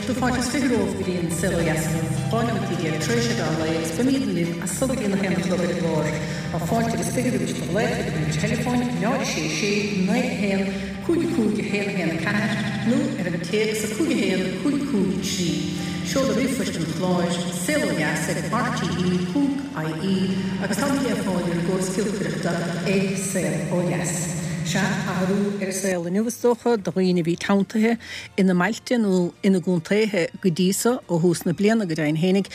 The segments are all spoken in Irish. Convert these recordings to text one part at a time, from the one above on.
Tá fáilte is 20 romhaibh go dtí an Saol Ó Dheas inniu, 12 nóimeataí tar éis a mheán lae agus beimídne libh as so go dtí an 1 a chlog ar an gclár. Tá fáilte agus 20 roimh do ghlaoch ar an uimhir teileafóin 0 6 6 9 1 5 5 1 1 4 nó ar an téacs 5 1 5 5 3. Seoladh ríomhphoist an chláir, saolodheas ag rte ponc ie agus táimid le fáil ar an gcóras giolcaireachta ag Saol Ó Dheas. Sea, athrú ar an saol inniu is dócha do dhaoine a bhí teanntaithe ina mbailte nó ina gcontaetha go dtí so, ó thús na bliana go deimhin fhéinig,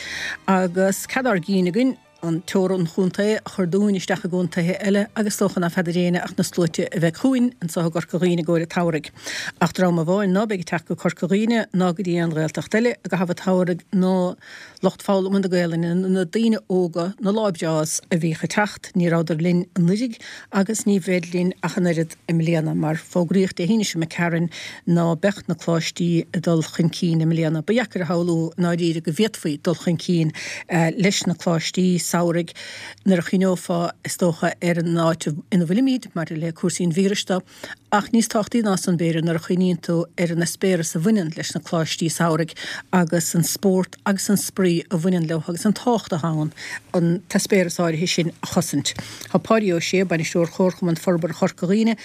agus cead ár gcinn againn an teorainn chontae a chur dúinn isteach i gcontaetha eile agus is dócha ná feadar éinne ach na sluaite a bheidh chugainn anso i gCorca Dhuibhne i gcomhair an tsamhraidh. Ach dream amháin ná beidh ag teacht go Corca Dhuibhne ná go dtí aon Ghaeltacht eile i gcaitheamh an tsamhraidh ná lucht foghlama na Gaelainne, na daoine óga, na Lá Breás a bhíodh ag teacht, ní rabhadar linn anuiridh agus ní bheid linn ach an oiread i mbliana, mar fógraíodh Dé hAoine seo imigh tharainn ná beadh na coláistí ag dul chun cinn i mbliana. Ba dheacair a shamhlú i ndáiríre go bhféadfaí dul chun cinn leis na coláistí samhraidh nuair a chuimhneofá, is dócha, ar an áit ina bhfuilimid maidir le cúrsaí an víris de. Ach níos tábhachtaí ná san, b'fhéidir, nuair a chuimhníonn tú ar an eispéireas a bhaineann leis na coláistí samhraidh agus an spórt agus an spraoi a bhaineann leo agus an tábhacht atá ann an t-eispéireas áirithe sin a chosaint. Tá Páidí Ó Sé, Bainisteoir Chomharchumann Forbartha Chorca Dhuibhne,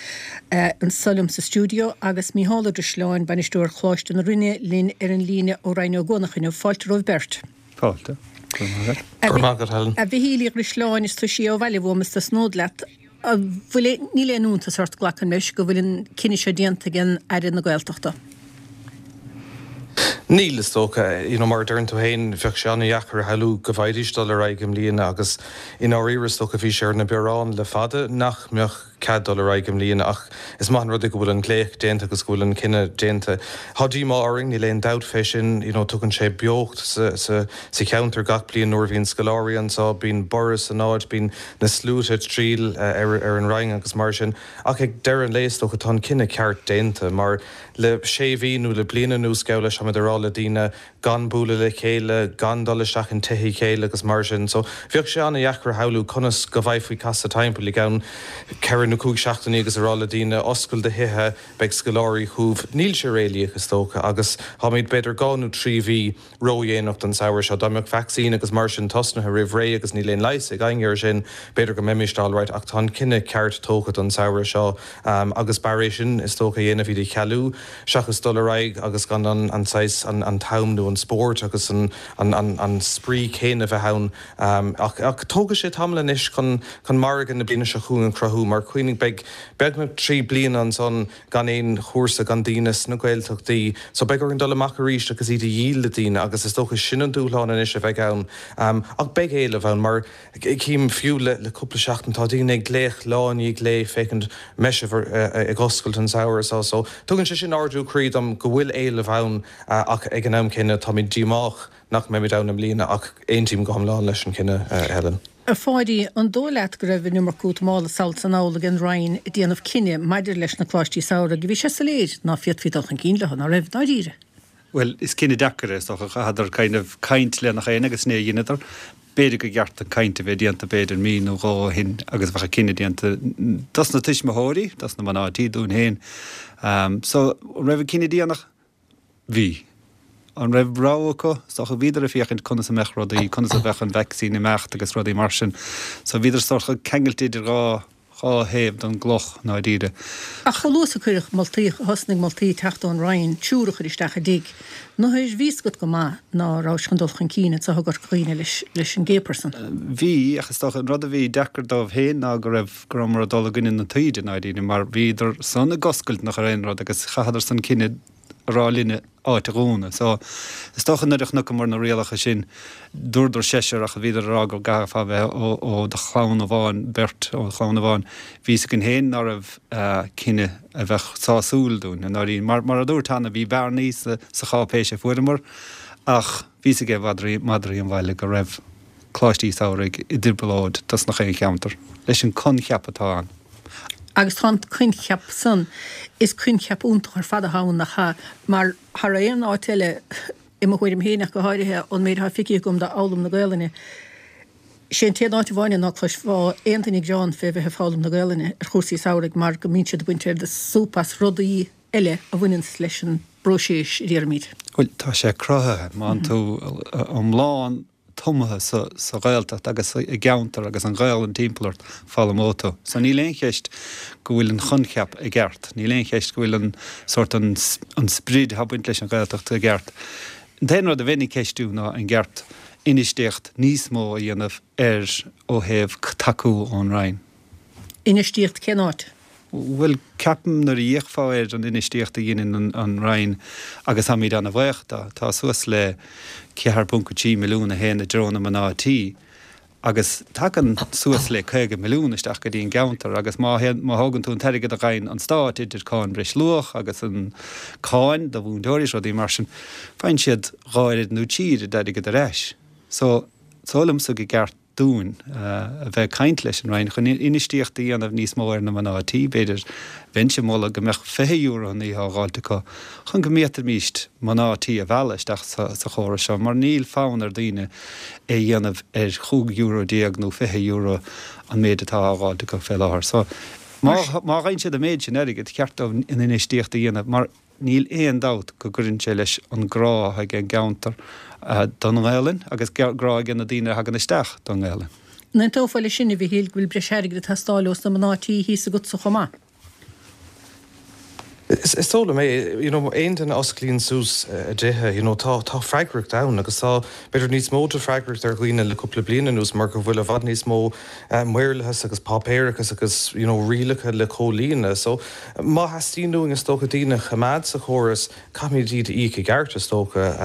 anso liom sa stiúideo agus Micheál Ó Drisleáin, Bainisteoir Choláiste na Rinne, linn ar an líne ó Rinn Ó gCuanach inniu. Fáilte romhaibh beirt. Fáilte. Go raibh maith agat. Go raibh maith agat, Helen. A Mhichíl Uí Dhrisleáin, is toisí ó bhaile uaim is tosnód leat. An bhfuil, níl aon iontas ort, glacaim leis, go bhfuil an cinneadh seo déanta ag an Aire na Gaeltachta? Níl, is dócha. You know, mar a deireann tú féin, bheadh sé an-dheacair a shamhlú go bhfaighidís dul ar aghaidh i mbliana agus i ndáiríre, is dócha, bhí sé ar na bioráin le fada nach mbeadh cead dul ar aghaidh i mbliana ach is maith an rud é go bhfuil an glaoch déanta agus go bhfuil an cinneadh déanta. Tá díomá orainn, níl aon dabht fé sin. You know, tugann sé beocht sa, sa, sa cheantar gach bliain nuair a bhíonn scoláirí anseo, bíonn borradh san áit, bíonn na sluaite ag triall ar an Rinn agus mar sin. Ach ag deireadh an lae, is dócha, tá an cinneadh ceart déanta mar le sé mhí nó le bliain anuas, gabh leis, táimid ag rá le daoine gan bualadh le chéile, gan dul isteach in tithe a chéile agus mar sin. So bheadh sé an-dheacair a shamhlú conas go bhféadfaí casadh timpeall i gceann ceithre nó cúig seachtainí agus a rá le daoine oscail do thithe, beidh scoláirí chugaibh. Níl sé réalaíoch, is dócha, agus táimid b'fhéidir dhá nó trí mhí ródhéanach don samhradh seo. Dá mbeadh vacsaín agus mar sin tosnaithe roimh ré agus níl aon leigheas ag éinne air sin, b'fhéidir go mbeimist alright ach tá an cinneadh ceart tógtha don samhradh seo agus b'fhearr é sin is dócha a dhéanamh, iad a chealú seachas dul ar aghaidh agus gan an saghas, an t-am nó an spórt agus an an spraoi céanna a bheith ann. Ach tógfaidh sé tamall anois chun chun margadh na bliana seo chugainn a chruthú mar cuimhnigh beidh beagnach 3 bliana ansan gan aon chúrsa, gan daoine sna Gaeltachtaí. So beidh orainn dul amach arís agus iad a dhíol le daoine agus is dócha sin an dúshlán anois a bheidh ann. Ach beidh éileamh ann mar cím fiú le le cúpla seachtain tá daoine ag glaoch lá i ndiaidh lae féachaint an mbeidh sibh ag oscailt an samhradh seo. So tugann sé sin ardú croí dom go bhfuil éileamh ann ach ag an am céanna táimid díomách nach mbeimid ann i mbliana ach aontaím go hiomlán leis an chinneadh, Helen. A Pháidí, an dóigh leat go raibh an iomarca útamála sall 's anall ag an Roinn ag déanamh cinneadh maidir leis na coláistí samhraidh? Bhí sé soiléir ná féadfaí dul chun cinn leo, ná raibh, dáiríre? Bhuel, is cinneadh deacair é, is dócha. Chaitheadar kind of caint le nach éinne agus ní dheineadar. B'fhéidir gur cheart an caint a bheith déanta b'fhéidir mí nó dhó ó shin agus bheadh an cinneadh déanta dos na tuismitheoirí, dos na mná tí, dúinn féin. So, an raibh an cinneadh déanach? Bhí. An raibh rogha acu? Is dócha bhíodar ag féachaint conas a mbeadh rudaí, conas a bheadh an vacsaín ag imeacht agus rudaí mar sin. So bhíodar sórt ceangailte idir dhá, dhá thaobh den gcloch, i ndáiríre. Ach chomh luath is a cuireadh moltaí, thosnaigh moltaí ag teacht ón Roinn, triúr a chur isteach i dtigh, nuair bhí 'fhios agat go maith ná rabhais chun dul chun cinn anso i gCorca Dhuibhne leis, leis an gcéad person. Bhí, ach is dócha an rud a bhí deacair dóibh féin ná go raibh, go rabhamar ag dul i gcoinne na taoide, i ndáiríre, mar bhíodar san ag oscailt nach ar aon rud agus chaitheadar san cinneadh a rá linne áit a dhúnadh. So, is dócha nuair a chonaiceamar na rialacha sin, dúradar seisear ach bhíodar ag rá go gcaithfeá bheith ó do chlann amháin, beirt ó chlann amháin. Bhí 'fhios againn féin ná raibh cinneadh a bheadh sásúil dúinn, i ndáiríre. Mar, mar a dúirt cheana, bhí bearnaí sa, sa cháipéis a fuaireamar ach bhí 'fhios ag madraí, madraí an bhaile go raibh. Coláistí Samhraidh i dtrioblóid dos nach aon cheantar, leis an coincheap atá ann. Agus tá an coincheap san, is coincheap iontach ar fad atá ann, nach ea? Mar thar aon áit eile, i mo thuairim féin ach go háirithe, ón méid atá feicthe agam d'fhoghlaim na Gaelainne, sé an t-aon áit amháin é ná cloisfeá aon duine ag gearán fé bheith ag foghlaim na Gaelainne ar chúrsaí samhraidh mar go mbíonn siad ag baint súp as rudaí eile a bhaineanns leis an bpróiseas a déarfaimid. Bhuel, tá sé cruthaithe. Má tá tú iomlán tumtha sa Ghaeltacht agus i gceantar agus an Ghaelainn timpeall ort, foghlaimeoidh tú. So níl aon cheist go bhfuil an choincheap i gceart. Níl aon cheist go bhfuil an sórt an an sprid atá ag baint leis an Ghaeltacht i gceart. An t-aon rud a bheinn ag ceistiú ná an gceart infheistíocht níos mó a dhéanamh air ó thaobh tacú ón Roinn. Infheistíocht cén áit? Bhuel, ceapaim nuair a fhéachfá ar an infheistíocht a dheineann an Roinn, agus táimid ana-bhaoch dó, tá suas le 4.3 milliún a théann i dtreo na mná tí, agus tagann suas le 50 milliún isteach go dtí an gceantar, agus má théann, má thógann tú an t-airgead a gheibheann an Stát idir cáin breisluach agus an cáin do mhúinteoirí is rudaí mar sin, faigheann siad dhá oiread nó trí oiread airgead ar ais. So, is dóigh liomsa go gceart dúinn a bheith ag caint leis an Roinn chun infheistíocht a dhéanamh níos mó ar na mná tí, b'fhéidir. Bheinnse ag moladh go mbeadh €20 an oíche á dh'fháilt acu chun go bhféadfaimíst mná tí a mhealladh isteach sa chóras seo mar níl fonn ar daoine é a dhéanamh ar chúig euro déag nó €20 an méid atá á dh'fháilt acu fé láthair. So, má fhaigheann siad an méid sin airgid, cheart dóibh an infheistíocht a dhéanamh mar Níl aon dabht go gcuireann sé leis an grá atá ag an gceantar don nGaelainn agus grá ag na daoine a thagann isteach don nGaelainn. An aontófá leis sin, a Mhichíl, go bhfuil breis airgid ag teastáil ós na mná tí thíos agatsa chomh maith? Is dóigh liom é. You know, aon duine a osclaíonn suas a dtithe, you know, tá, tá freagracht ann agus tá, b'fhéidir, níos mó de freagracht ar dhaoine le cúpla bliain anuas mar go bhfuil i bhfad níos mó maorlathas agus páipéarachas agus, you know, rialacha le comhlíonadh. So, Má theastaíonn uainn, is dócha, daoine a choimeád sa chóras, caithfimid iad a íoc i gceart, is dócha.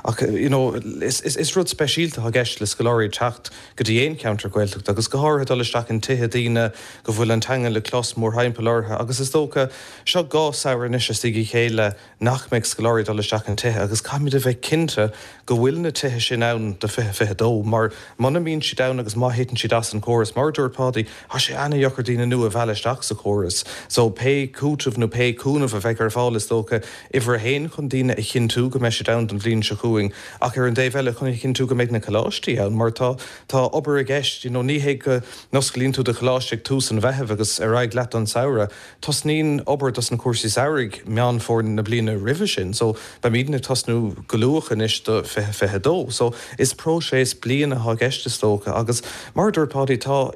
Ach, you know, is rud speisialta atá i gceist le scoláirí teacht go dtí aon cheantar Gaeltachta agus go háirithe dul isteach in tithe daoine go bhfuil an teanga le clos mórthimpeall orthu agus is dócha, seo dhá samhradh anois istigh a chéile nach mbeidh scoláirí ag dul isteach in tithe agus caithfimid a bheith cinnte go bhfuil na tithe sin ann do 2022 mar muna mbíonn siad ann agus má thiteann siad as an chóras, mar a dúirt Páidí, tá sé ana-dheacair daoine nua a mhealladh isteach sa chóras. So pé cúiteamh nó pé cúnamh a bheidh ar fáil is dócha, uimhir a haon chun daoine a chinntiú go mbeidh siad ann don bhliain seo chugainn ach ar an dtaobh eile chun a chinntiú go mbeidh na coláistí ann mar tá tá obair i gceist, you know ní hé go n-osclaíonn tú do choláiste ag tús an Mheithimh agus ar aghaidh leat don samhradh. Tosnaíonn obair dos na cúrsaí samhraidh Meán Fómhair na bliana roimhe sin so beimidne ag tosnú go luath anois do 2022. So is próiseas bliana atá i gceist is dócha agus mar a dúirt Páidí tá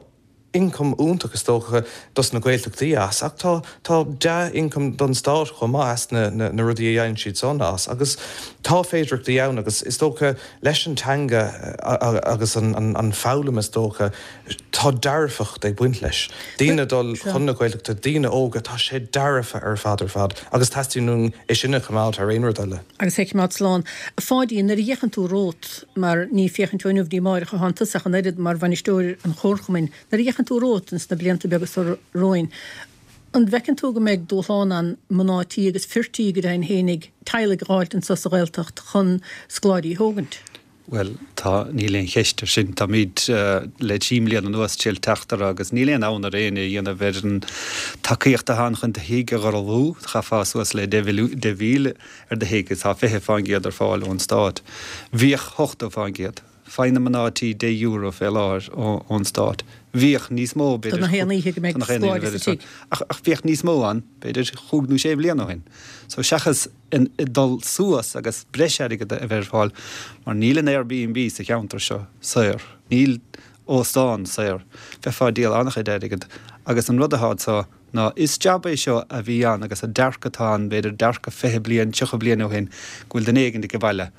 ioncam iontach is dócha dos na Gaeltachtaí as ach tá tá dea-ioncam don stát chomh maith as na na rudaí a dhéanann siad san as agus tá féidireachtaí ann agus is dócha leis an teanga agus an an foghlaim is dócha Tá dearfacht ag baint leis. Daoine ag dul chun na Gaeltachta, daoine óga, tá sé dearfa ar fad ar fad agus teastaíonn uainn é sin a choimeád thar aon rud eile. Agus é a choimeád slán. A Pháidí, nuair a fhéachann tú romhat, mar ní féachaint ó inniu go dtí amáireach atá iontu ach an oiread mar bhainisteoir an chomharchumainn, nuair a fhéachann tú romhat ins na blianta beaga seo romhainn, an bhfeiceann tú go mbeidh dúshlán ann mná tí agus fir tí go deimhin fhéinig, teaghlaigh a dh'fháilt anso sa Ghaeltacht chun scoláirí a thógaint? Bhuel, tá, níl aon cheist ar sin. Táimid le trí mbliana anuas ag triail teacht orthu agus níl aon fhonn ar éinne a dhéanamh ar an tacaíocht atá ann chun do thigh a gharbhú. Chaithfeá suas le 10,000 ar do thigh agus tá 20% ar fáil ón stát. Bhíodh 80%. Faigheann na mná tí €10 fé láthair ón stát. Bhíodh níos mó, b'fhéidir. Do na haon oíche go mbeidh scoláire sa tigh. Ach bhíodh níos mó ann, b'fhéidir, chúig nó sé bhliain ó shin. So seachas dul suas agus breis airgid a bheith ar fáil mar níl an Airbnb sa cheantar seo saor, níl óstán saor, bheifeá ag díol an-chuid airgid agus an rud atá anseo ná is jab é seo a bhí ann agus an dearcadh atá ann, b'fhéidir dearcadh 20 bliain, 30 bliain ó shin go bhfuil duine éigin ag baile.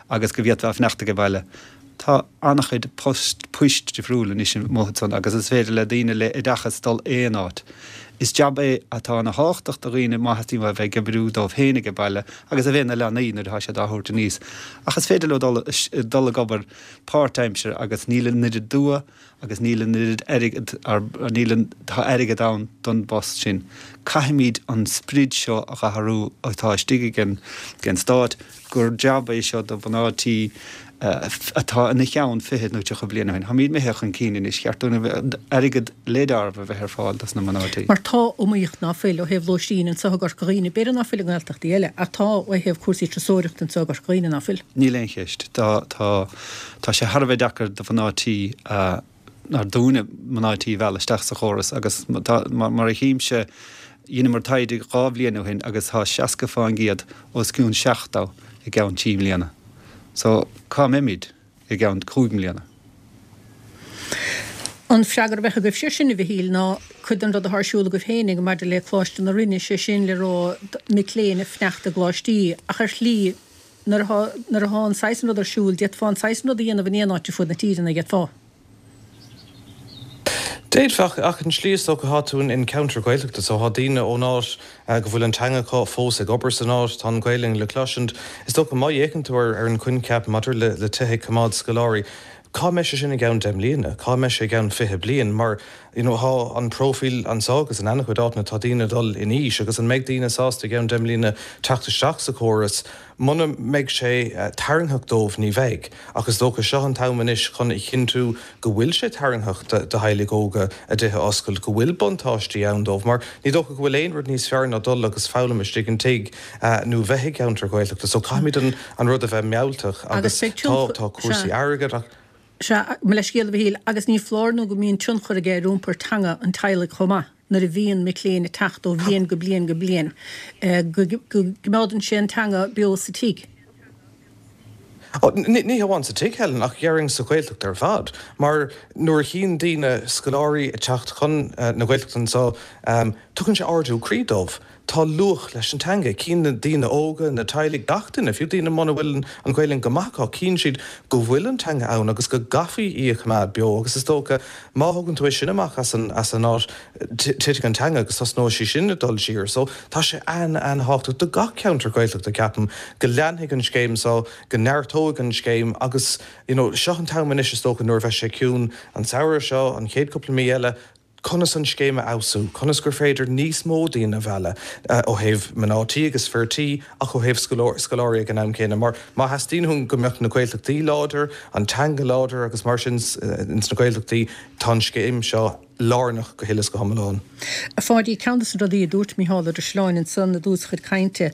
agus go bhféadfá a fanacht age baile. Tá an-chuid post, poist difriúil anois amuigh ansan agus is féidir le daoine le oideachas dul aon áit. Is jab é atá ana thábhachtach do dhaoine má theastaíonn uathu a bheith ag oibriú dóibh féin age baile agus a bheith na leanaí nuair atá siad á thabhairt aníos. Ach is féidir leo dul, dul ag obair páirtaimseartha agus níl an oiread dua agus níl an oiread airgead, níl an, tá airgead ann don bpost sin. Caithfimid an sprid seo a dh'athrú atá istigh ag an, ag an Stát gur jab é seo do mhná tí atá ina cheann 20 nó 30 bliain ó shin. Táimid imithe chun cinn anois, cheart dúinn a bheith, airgead le deáramh a bheith ar fáil dos na mná tí. Mar tá iomaíocht ná fuil ó thaobh lóistín anseo i gCorca Dhuibhne, b'fhéidir ná fuil i nGaeltachtaí eile, ach tá ó thaobh cúrsaí turasóireachta anseo i gCorca Dhuibhne ná fuil. Níl aon cheist. Tá, tá. Tá sé thar a bheith deacair do mhná tí, nó dúinne, mná tí a mhealladh isteach sa chóras agus tá, mar a chímse, dheineamar taighde dhá bhliain ó shin agus tá 60 fán gcéad os cionn 70. i gceann trí mbliana. So, cá mbeimid i gceann chúig mbliana? An freagra a bheadh agaibhse air sin, a Mhichíl, ná cuid den rud atá ar siúl agaibh féinig maidir le Coláiste na Rinne, sé sin le rá mic léinn ag fanacht i gcoláistí, ach ar shlí, nuair atá, nuair atá an saghas san rud ar siúl, d'fhéadfá an saghas san rud a dhéanamh in aon áit ar fud na tíre, nach bhféadfá? D'fhéadfá, ach an tslí is dócha, tá tú in ceantar Gaeltachta so tá daoine ón áit go bhfuil an teanga acu fós ag obair san áit, tá an Ghaelainn le cloisint. Is dócha má fhéachann tú ar an choincheap maidir le tithe ag coimeád scoláirí, cá mbeidh sé sin i gceann 10 mbliana? Cá mbeidh sé i gceann 20 bliain? Mar you know tá an próifíl anseo agus in an-chuid áiteanna tá daoine ag dul in aois agus an mbeidh daoine sásta i gceann 10 mbliana teacht isteach sa chóras? Muna mbeidh sé tarraingtheach dóibh, ní bheidh. Ach is dócha seo an t-am anois chun a chinntiú go bhfuil sé tarraingtheach do theaghlaigh óga a dtithe a oscailt, go bhfuil buntáistí ann dóibh. Mar ní dócha go bhfuil aon rud níos fearr ná dul agus foghlaim istigh in tigh nó bheith i gceantar Gaeltachta. So caithfimid an rud a bheith mealltach agus tá cúrsaí airgid ach. Sea, mo leithscéal a Mhichíl, agus ní foláir nó go mbíonn tionchar aige ar iompar teanga an teaghlaigh chomh maith, nuair a bhíonn mic léinn ag teacht ó bhliain go bliain go bliain, go gcoimeádann sé an teanga beo sa tigh. Ní hamháin sa tigh, Helen, ach déarfainn sa Ghaeltacht ar fad, mar nuair a chíonn daoine scoláirí ag teacht chun na Gaeltachta anseo, tugann sé ardú croí dóibh. Tá luach leis an teanga. Cíonn na daoine óga, na teaghlaigh, gach duine, fiú daoine muna bhfuil an Ghaelainn go maith acu, cíonn siad go bhfuil an teanga ann agus go gcaithfí í a choimeád beo agus is dócha má thugann tú é sin amach as an as an áit, titfidh an teanga agus tosnóidh sí sin ag dul siar. So tá sé an-an-thábhachtach do gach ceantar Gaeltachta, ceapaim, go leanfaidh an scéim seo, go neartóidh an scéim agus you know seo an t-am anois is dócha nuair a bheidh sé ciúin an samhradh seo, an chéad cúpla mí eile, conas an scéim a fheabhsú, conas gur féidir níos mó daoine a mhealladh, ó thaobh mná tí agus fir tí ach ó thaobh scoláirí ag an am céanna. Mar má theastaíonn uainn go mbeadh na Gaeltachtaí láidir, an teanga láidir agus mar sin ins na Gaeltachtaí, tá an scéim seo lárnach go huile is go hiomlán. A Pháidí, ceann de na rudaí a dúirt Micheál Ó Drisleáin ansan i dtús a chuid cainte,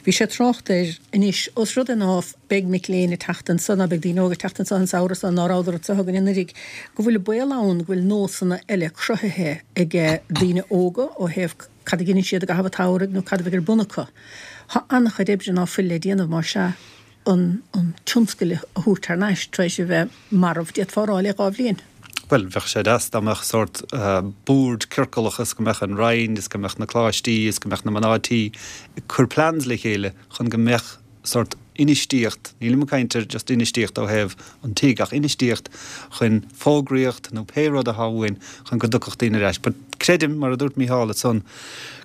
bhí sé ag trácht air anois, ós rud é ná beidh mic léinn ag teacht anso, ná beidh daoine óga ag teacht anso an samhradh so, ná rabhadar anso againn anuraidh, go bhfuil an baol ann go bhfuil nósanna eile cruthaithe ag daoine óga ó thaobh cad a dheineann siad i gcaitheamh an tsamhraidh nó cad a bheidh ar bun acu. Tá an-chuid oibre ná fuil le déanamh, más ea, an an tionscal a thabhairt thar n-ais tar éis a bheith marbh, d'fhéadfá a rá, le 2 bhliain. Bhuel, bheadh sé deas dá mbeadh sórt bord ciorclach is go mbeadh an Roinn is go mbeadh na coláistí is go mbeadh na mná tí ag cur plans le chéile chun go mbeadh sórt infheistíocht, nílim ag caint ar just infheistíocht ó thaobh an tigh ach infheistíocht chun fógraíocht nó pé rud atá uainn chun go dtiocfadh daoine ar ais. But creidim, mar a dúirt Mícheál ansan,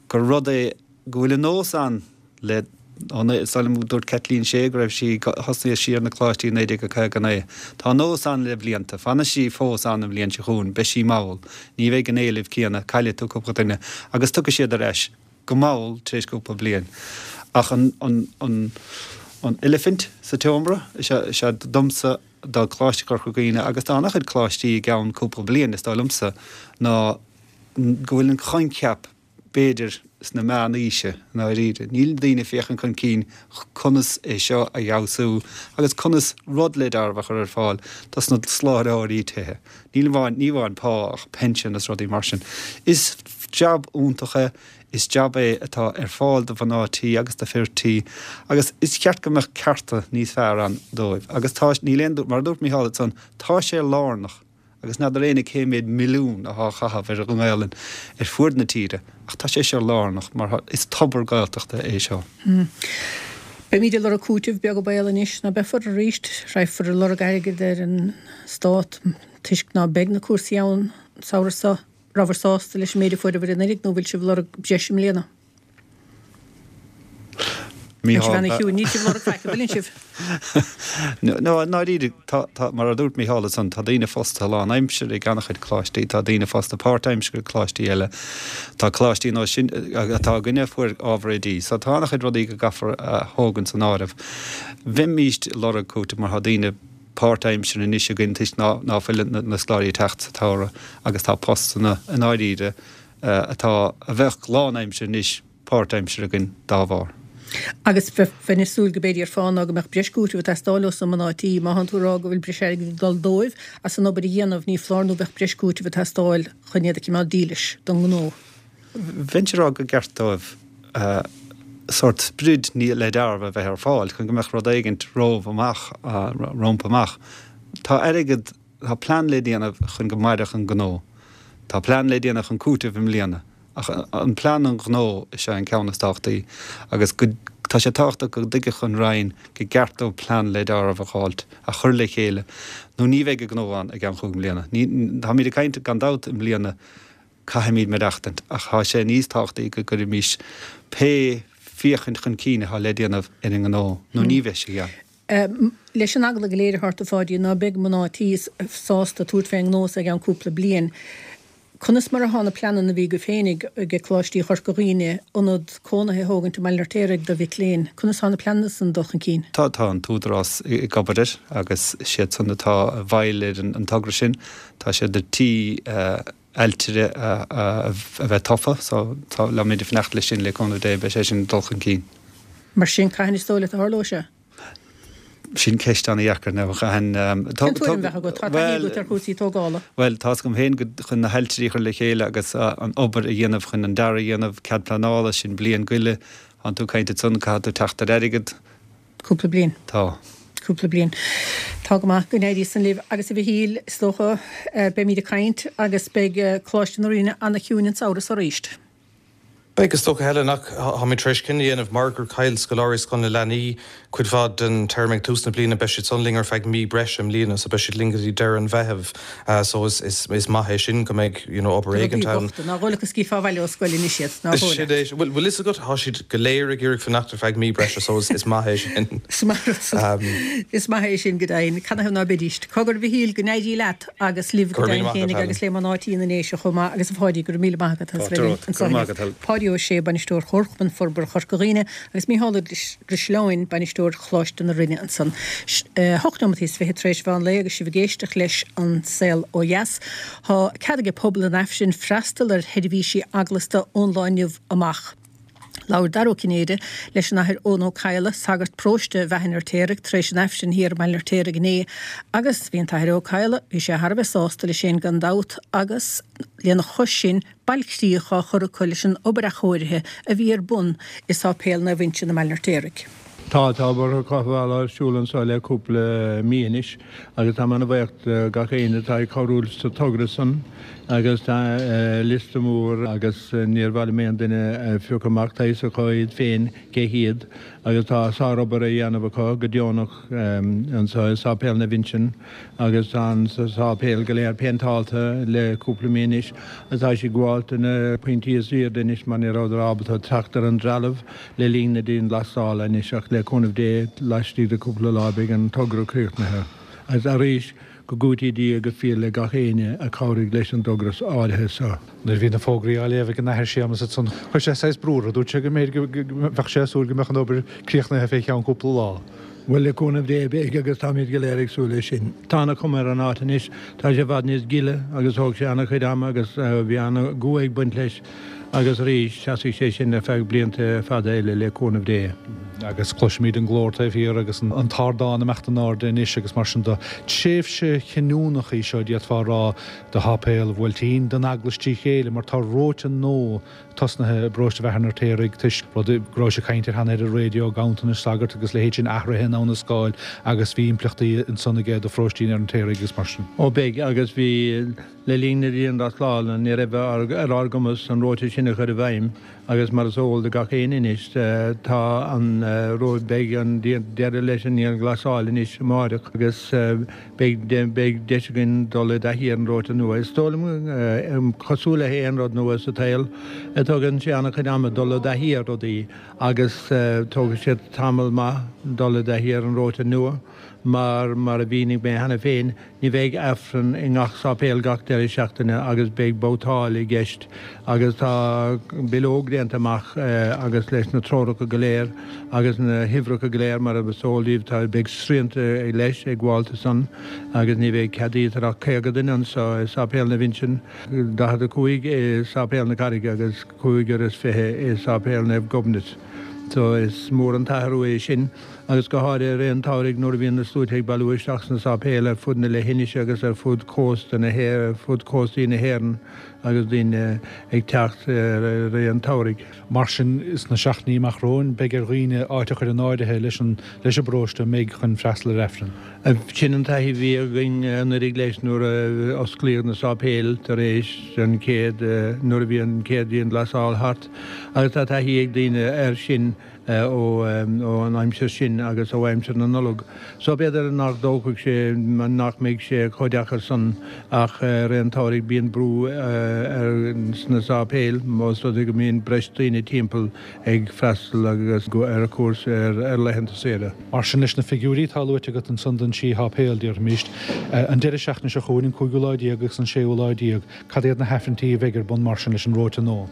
gur rud é go bhfuil an nós ann le, ó, is dóigh liom go dúirt Caitlín Sé go raibh sí, thosnaigh sí ar na coláistí i 1959. Tá an nós ann le blianta, fanfaidh sí fós ann an bhliain seo chugainn, beidh sí mall, ní bheidh an éileamh céanna, caillfidh tú cúpla duine agus tiocfaidh siad ar ais. go mall tar éis cúpla bliain. Ach an, an, an, an eilifint sa tseomra, is ea, is ea domsa, do Choláiste Chorca Dhuibhne agus do an-chuid coláistí i gceann cúpla bliain, is dóigh liomsa, ná go bhfuil an coincheap, b'fhéidir, sna meán-aoise, i ndáiríre. Níl daoine ag féachaint chun cinn conas é seo a fheabhsú agus conas rud le dealramh a chur ar fáil dos na soláthróirí tithe. Níl amháin, ní amháin pá ach pension is rudaí mar sin. Is jab iontach é, is jab é atá ar fáil do mhná tí agus do fir tí agus is cheart go mbeadh cearta níos fearr ann dóibh. Agus tá, níl aon, mar a dúirt Mícheál ansan, tá sé lárnach agus n'fheadar éinne cé méid milliún atá á chaitheamh ar an nGaelainn ar fuaid na tíre ach tá sé seo lárnach mar is tobar Gaeltachta é seo. Beimid ag lorg cúitimh, beag an baol anois ná beifear arís, raghfar ag lorg airgid ar an Stát toisc ná beidh na cúrsaí ann an samhradh seo. Rabhabhair sásta leis an méid a fuaireabhair anuraidh nó bhfuil sibh ag lorg breis i mbliana? Níl sibh ana chiúin, níl sibh ag lorg faic, an bhfuileann sibh? No, i ndáiríre, tá, tá, mar a dúirt Mícheál ansan, tá daoine fostaithe lán-aimsire ag an-chuid coláistí, tá daoine fostaithe páirt-aimsire ag coláistí eile, tá coláistí nó sin atá againne a fuair ábhar oidí. So tá an-chuid rudaí go gcaithfear a thógaint san áireamh. Bheimíst ag lorg cúitimh mar tá daoine páirt-aimsire anois againn toisc ná, ná fuil na scoláirí ag teacht sa tsamhradh agus tá postanna i ndáiríre atá, a bheadh lán-aimsire anois, páirt-aimsire againn dá bharr. Agus bheinn ag súil go b'fhéidir ar fáth ná go mbeadh breis cúitimh ag teastáil ós na mná tí. Má thánn tú ag rá go bhfuil breis airgid ag dul dóibh as an obair a dhéanamh, ní foláir nó bheadh breis cúitimh ag teastáil chun iad a chimeád dílis don ngnó. Bheinnse ag rá go gceart dóibh. sórt sprid le dealramh a bheith ar fáil chun go mbeadh rud éigint romhaibh amach, rompu amach. Tá airgead, tá plean le déanamh chun go mairfeadh an gnó. Tá plean le déanamh chun cúiteamh i mbliana. Ach an plean don ghnó is ea an ceann is tábhachtaí agus go, tá sé tábhachtach go dtuigfeadh an Roinn go gceart dóibh plean le dealramh a dh'fháilt, a chur le chéile nó ní bheidh an gnó ann i gceann chúig mbliana. Ní, táimid ag caint gan dabht i mbliana caithfimid maireachtaint ach tá sé níos tábhachtaí go gcuirfimis pé féachaint chun cinn atá le déanamh ar an ngnó nó ní bheidh sé ann. Leis an eagla go léir atá ort a Pháidí ná beidh mná tí sásta tabhairt fén ngnó so i gceann cúpla bliain, conas mar atá na pleananna a bhí agaibh féinig ag Coláistí Chorca Dhuibhne ionad cónaithe a thógaint i mBaile an Fheirtéaraigh do mhic léinn, conas atá na pleananna san ag dul chun cinn? Tá, tá an tÚdarás ag obair air agus siad san atá i bhfeighil ar an togra sin. Tá siad ar tí ailtire a bheith tofa so táimid ag fanacht leis sin le cúnamh Dé beidh sé sin ag dul chun cinn. Mar sin, cathain is dóigh leat a tharlóidh sé? Sin ceist an-dheacair now, cathain. Cén tuairim a bheadh agat? Tá taithí agat ar chúrsaí tógála. Bhuel, tá's agam féin go chun na hailtirí a chur le chéile agus an obair a dhéanamh chun an dearadh a dhéanamh, cead pleanála, sin bliain go leith. Tánn tú ag caint ansan, caithfidh tú teacht ar airgead. Cúpla bliain. Tá. Cúpla bliain. Tá go maith. Go n-éirí san libh. Agus a Mhichíl, is dócha, beimid ag caint agus beidh Coláiste na Rinne ana-chiúin an samhradh so aríst. Beidh, is dócha, Helen, ach táimid tar éis cinneadh a dhéanamh mar gur chaill scoláirí Scoil na Leanaí cuid mhaith den téarma ag tús na bliana, beidh siad san linn ar feadh mí breise i mbliana, so beidh siad linn go dtí deireadh an Mheithimh. So is is maith é sin go mbeidh you know obair éigint ann. Rudaí bochta, nár dhóigh leat go scaoilfeá abhaile ó scoil anois iad, nár dhóigh leat? Sin é, bhfuil fhios agat, tá siad go léir ag iarraidh fanacht ar feadh mí breise so is maith é sin. Is maith rud san. Is maith é sin go deimhin. Canathaobh ná beidís? Cogar a Mhichíl, go n-éirí leat agus libh go deimhin féinig agus le mná tí na nDéise chomh maith agus a Pháidí, go raibh míle maith agat as bheith linn anseo inniu. Páidí Ó Sé, Bainisteoir Chomharchumann Forbartha Chorca Dhuibhne agus Micheál Ó Drisleáin, Bainisteoir Choláiste na Rinne ansan. 8 neomataí is 20 tar éis mheán lae agus sibh ag éisteacht leis An Saol Ó Dheas. Tá cead ag pobal an Aifrinn freastal ar sheirbhísí eaglasta ón lá inniu amach. Labhair Dara Ó Cinnéide leis an Athair Eoin Ó Cadhla, sagart paróiste Bheatha an Fheirtéaraigh, tar éis an Aifrinn thiar i mBaile an Fheirtéaraigh inné agus bhí an tAthair Ó Cadhla, bhí sé thar a bheith sásta leis féin gan dabht agus lena chois sin bailchríoch á chur acu leis an obair athchóirithe a bhí ar bun i Sáipéal Naomh Uinseann i mBaile an Fheirtéaraigh. Tá, tá obair chothabhála ar siúl anseo le cúpla mí anois agus táim ana-bhaoch de gach éinne atá ag cabhrú sa togra san agus tá liosta mór agus níor mhaith liom aon duine a phiocadh amach, tá fhios acu iad féin cé hiad agus tá sárobair á dhéanamh acu go deonach anseo i Sáipéal Naomh Uinseann agus tá an sáipéal go léir péinteálta le cúpla mí anois agus tá siad ag gabháilt do na pointí is airde anois mar ní rabhadar ábalta teacht ar an dtrealamh le linn na dianghlasála anois ach le cúnamh Dé laistigh de cúpla lá beidh an togra críochnaithe. Agus arís, go gcúití Dia go fial le gach éinne a chabhraigh leis an dtogra áirithe seo. Nuair a bhí na fógraí á léamh ag an Athair Séamus ansan, chuir sé saghas brú orthu. Dúirt sé go mb'fhéidir go mbeadh sé ag súil go mbeadh an obair críochnaithe fé cheann cúpla lá. Bhuel, le cúnamh Dé, beidh agus táimid go léir ag súil leis sin. Tá ana-chuma ar an áit anois, tá sé i bhfad níos gile agus thóg sé ana-chuid ama agus bhí ana-dhua ag baint leis. Agus arís, seasfaidh sé sin ar feadh blianta fada eile, le cúnamh Dé. Agus cloisimid an glór taobh thiar agus an t-ardán ag imeacht in airde anois agus mar sin de. Tréimhse chinniúnach í seo, d'fhéadfá a rá, do Sháipéal Bhuailtín, don Eaglais trí chéile, mar tá róta nua tosnaithe i bparóiste Bheatha an Fheirtéaraigh toisc rud go raibh sé ag caint air cheana ar an raidió, ganntanais sagart agus leithéid sin, athruithe in Abha na Scáil agus bhí impleachtaí ansan aige do pharóistí an Fheirtéaraigh agus mar sin. Ó beidh, agus bhí. Le linn na dianghlasála ní raibh ar ár gcumas an róta sin a chur i bhfeidhm agus mar is eol do gach éinne anois tá an beidh an deireadh leis an ndianghlasáil anois amáireach agus beidh beidh deis againn dul i dtaithí ar an róta nua. Is dóigh liom cosúil le haon rud nua sa tsaol tógann sé an-chuid ama dul i dtaithí ar rudaí agus tógfaidh sé tamall maith dul i dtaithí ar an róta nua mar mar a mhínigh mé cheana féin Ní bheidh Aifreann i ngach sáipéal gach deireadh seachtaine agus beidh babhtáil i gceist agus tá bileog déanta amach agus leis na treoracha go léir agus na huimhreacha go léir mar is eol daoibh tá beidh srianta leis ag gabháil san agus ní bheidh ceadaítear ach 50 duine anseo i Sáipéal Naomh Uinseann, 45 i Sáipéal na Carraige agus 25 i Sáipéal Naomh Gobnait. So is mór an t-athrú é sin agus go háirithe i rith an tsamhraidh nuair a bhíonn na sluaite ag bailiú isteach sna sáipéil ar fud na leithinise agus ar fud cósta na ar fud cóstaí na hÉireann agus daoine ag teacht i rith an tsamhraidh. Mar sin, sna seachtainí amach romhainn, beidh ar dhaoine áit a chur in áirithe leis an leis an bparóiste a mbeidh chun freastal ar Aifreann. Sin an taithí a bhí againn anuraidh leis nuair a osclaíodh na sáipéil tar éis an chéad, nuair a bhí an chéad dianghlasáil thart agus tá taithí ag daoine air sin ó an aimsir sin agus ó aimsir na Nollag. So b'fhéidir nach dtógfaidh sé, nach mbeidh sé chomh deacair san ach i rith an tsamhraidh bíonn brú ar sna sáipéil más rud é go mbíonn breis daoine timpeall ag freastal agus ar cuairt ar laethanta saoire. Mar sin, leis na figiúirí atá luaite agat ansan don trí sháipéal, déarfaimis, an deireadh seachtaine seo chugainn, an cúigiú lá déag agus an séú lá déag, cad iad na hAifrinntí a bheidh ar bun mar sin leis an reoite nua?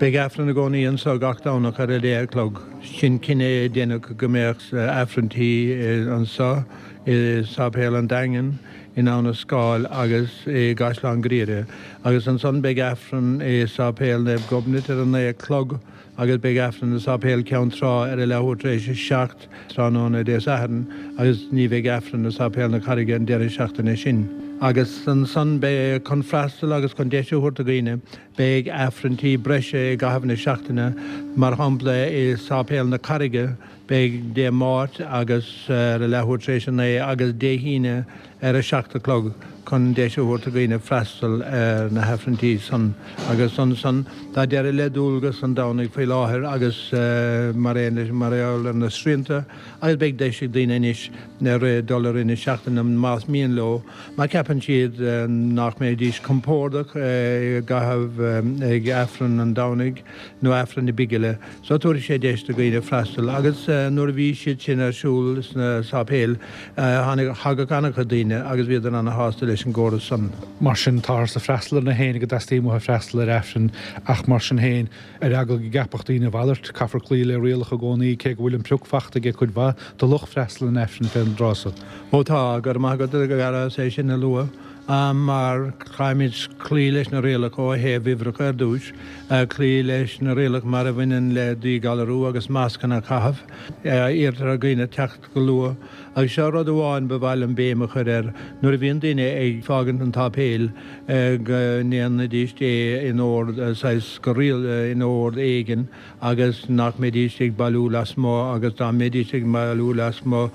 Beidh Aifreann i gcónaí anso gach Domhnach ar a deich a chlog. Sin cinneadh a deineadh go mbeadh Aifrinntí anso i Sáipéal an Daingin, in Abha na Scáil agus i gCaisleán Ghriaire agus ansan beidh Aifreann i Sáipéal Naomh Gobnait ar a naoi a chlog agus beidh Aifreann i Sáipéal Ceann Trá ar a leathuair tar éis a 7 tráthnóna Dé Sathairn agus ní bheidh Aifreann i Sáipéal na Carraige an deireadh seachtaine sin. Agus ansan beidh, chun freastal agus chun deis a thabhairt do dhaoine, beidh Aifrinntí breise i gcaitheamh na seachtaine, mar shampla i Sáipéal na Carraige, Beidh Dé Máirt agus ar a leathuair tar éis a naoi agus Dé hAoine ar a 7 a chlog chun deis a thabhairt do dhaoine freastal ar na hAifrinntí san agus ansan tá deireadh le dualgas an Domhnaigh faoi láthair agus mar aon leis mar gheall ar na srianta agus beidh deis ag daoine anois dul i rith na seachtaine más mian leo má cheapann siad nach mbeidís compordach i gcaitheamh ag Aifreann an Domhnaigh nó Aifreann na Bigile. So tabharfaidh sé deis do dhaoine freastal agus nuair a bhí siad sin ar siúl sna sáipéil tháinig, thagadh an-chuid daoine agus bhíodar ana-shásta leis an gcóras san. Mar sin, táthar ag freastal ar na héinne go dteastaíonn uathu freastal ar Aifreann ach mar sin féin, ar eagla go gceapfadh daoine a mhalairt, caithfear cloí le rialacha i gcónaí, cé go bhfuil an pioc fachta aige cuid mhaith de lucht freastail an Aifrinn fén dtráth so. Ó tá, go raibh maith agat a Dhara as é sin a lua. mar caithfimid cloí leis na rialacha ó thaobh uimhreacha ar dtús, cloí leis na rialacha mar a bhaineann le díghalarú agus mascanna a chaitheamh. Iarrtar ar dhaoine teacht go luath. Agus seo rud amháin ba mhaith liom béim a chur air, nuair a bhíonn daoine ag fágaint an tsáipéil, go ndéanfaidís é in ord, saghas go riail, in ord éigin, agus nach mbeidís ag bailiú lasmuigh agus dá mbeidís ag bailiú lasmuigh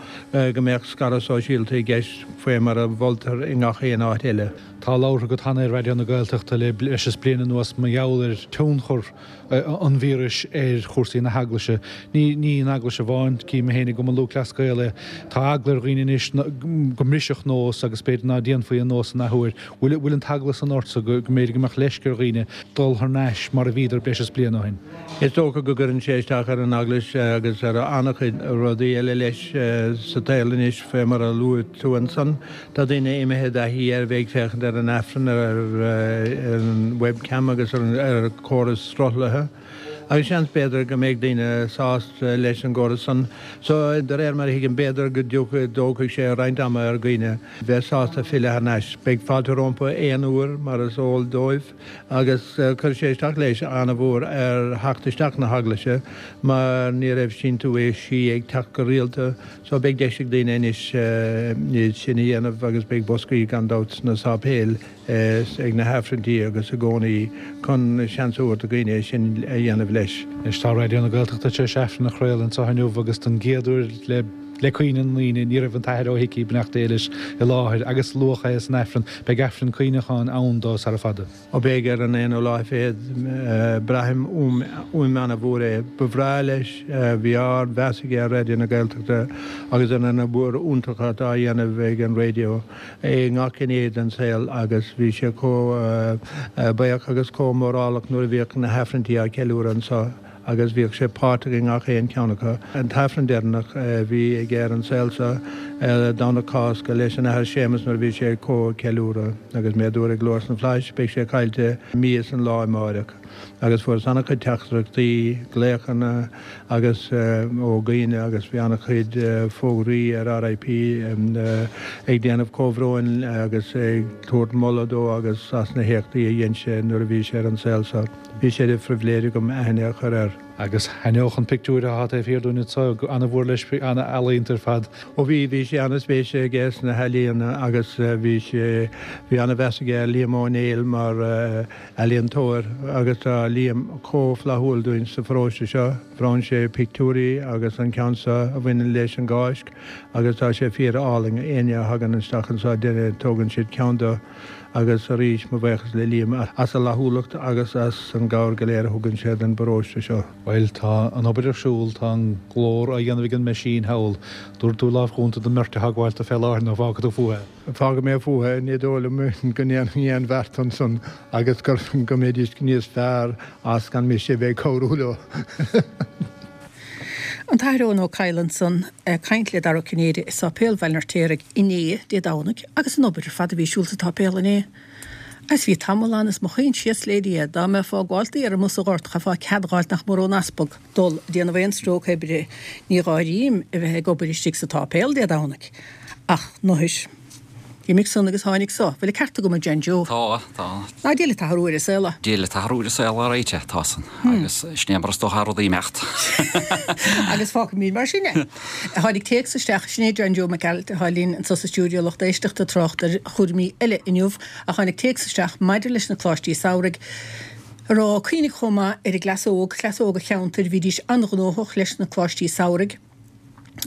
go mbeadh scaradh sóisialta i gceist faoi mar a mholtar i ngach aon áit eile. Tá labhartha agat cheana ar Raidió na Gaeltachta le breis is bliain anuas mar gheall ar tionchar an víris ar chúrsaí na hEaglaise. Ní ní an Eaglais amháin, cím mé féin i gCumann Lúthchleas Gael é. Tá eagla ar dhaoine anois go mbrisfeadh nós agus b'fhéidir ná déanfaí an nós an athuair. Bhfuil bhfuil an t-eagla san ortsa go mb'fhéidir go mbeadh leisce ar dhaoine dul thar n-ais mar a bhíodar breis is bliain ó shin? Is dócha go gcuireann sé isteach ar an Eaglais agus ar an-chuid rudaí eile leis sa tsaol anois, fé mar a luaigh tú ansan. Tá daoine imithe i dtaithí ar bheith ag féachaint ar an Aifreann ar an webcam agus ar chóras sruthlaithe. Agus seans b'fhéidir go mbeidh daoine sásta leis an gcóras san. So, de réir mar a thuigim, b'fhéidir go dtiocfaidh, dtógfaidh sé roinnt ama ar dhaoine bheith sásta filleadh thar n-ais. Beidh fáilte rompu aon uair, mar is eol dóibh, agus chuir sé isteach leis an-mhór ar theacht isteach na hEaglaise mar ní raibh síntiúisí ag teacht go rialta. So, beidh deis ag daoine anois iad sin a dhéanamh agus beidh boscaí gan dabht sna sáipéil. ag na hAifrinntí agus i gcónaí chun seans a thabhairt do dhaoine é sin a dhéanamh leis. Anois tá Raidió na Gaeltachta tar éis Aifreann a chraoladh anseo inniu agus don gcéad uair le le cuimhne na ndaoine ní raibh an tAthair Ó hIcí, beannacht Dé leis, i láthair agus luadh é san Aifreann. Beidh Aifreann cuimhneacháin ann dó sara fada. Ó beidh ar an aonú lá fichead. Braithim uaim ana-mhór é. Ba bhreá leis, bhí ard-mheas aige ar Raidió na Gaeltachta agus ar an obair iontach atá á dhéanamh ag an raidió. i ngach gné den saol agus bhí sé chomh buíoch agus chomh mórálach nuair a bhíodh na hAifrinntí á ceiliúradh anseo agus bhíodh sé páirteach i ngach aon cheann acu. An t-Aifreann deireanach a bhí aige ar an saol seo ar Domhnach Cásca leis an Athair Séamus nuair a bhí sé ag comhcheiliúradh agus mé a dúradh ag Glór sna Flaithis beidh sé caillte mí is an lá amáireach. Agus fuaireas an-chuid teachtaireachtaí, glaochanna agus ó dhaoine agus bhí an-chuid fógraí ar RIP ag déanamh comhbhróin agus ag tabhairt moladh dó agus as na héachtaí a dhein sé nuair a bhí sé ar an saol seo. Bhí sé de phribhléid agam aithne a chur air. Agus thaitneodh an pictiúr atá taobh thiar dúinn anseo go an-mhór leis, an-ealaíonta ar fad. Ó bhí, bhí sé an-spéis aige sna healaíona agus bhí sé, bhí an-mheas aige ar Liam Ó Néill mar ealaíontóir agus tá Liam chomh flaithiúil dúinn sa pharóiste seo. Bhronn sé pictiúirí agus an ceann seo a bhaineann leis an gCáisc agus tá sé fíor álainn. Éinne a thagann isteach anseo tógann siad ceann de. Agus arís, mo bhuíochas le Liam as a fhlaithiúlacht agus as an gcabhair go léir a thugann sé don bparóiste seo. Bhuel, tá an obair ar siúl, tá an glór á dhéanamh ag an meaisín thall. Dtabharfaidh tú lámh chúnta don mbeirt atá ag gabháil fé láthair nó fágfaidh tú fúthu é? Fágfaidh mé fúthu é, ní dóigh liom go ndéanfainn aon bheart ansan agus go mbeidís níos fearr as gan mise a bheith ag cabhrú leo. An tAthair Eoin Ó Cadhla ansan ag caint le Dara Ó Cinnéide i Sáipéal Bhaile an Fheirtéaraigh inné, Dé Domhnaigh, agus an obair ar fad a bhí ar siúl sa tsáipéal inné. Agus bhí tamall ann is mo chuimhne síos le Dia, dá mbeifeá ag gabháilt ar an mbus sa ghort, chaithfeá cead dh'fháilt nach mór ón easpag dul ag déanamh aon stróc oibre. Ní dh'áirím a bheith ag obair istigh sa tsáipéal Dé Domhnaigh. Ach anois. D'imigh san agus tháinig so. Bhfuil an ceart agam, a John Joe? Tá, tá. Ná Dia leat athrú ar an saol. Dia leat athrú ar an saol, alright, tá san. Agus sin é mar is dócha rudaí imeacht. Agus fágfaimid mar sin é. Tháinig téacs isteach, sin é John Joe Mac Gearailt atá linn anso sa stiúideo lucht éisteachta ag trácht ar chúraimí eile inniu ach tháinig téacs isteach maidir leis na coláistí samhraidh ag rá, cuimhnigh chomh maith ar an gcleas óg, cleas óg an cheantair, bhídís an-ghnóthach leis na coláistí samhraidh.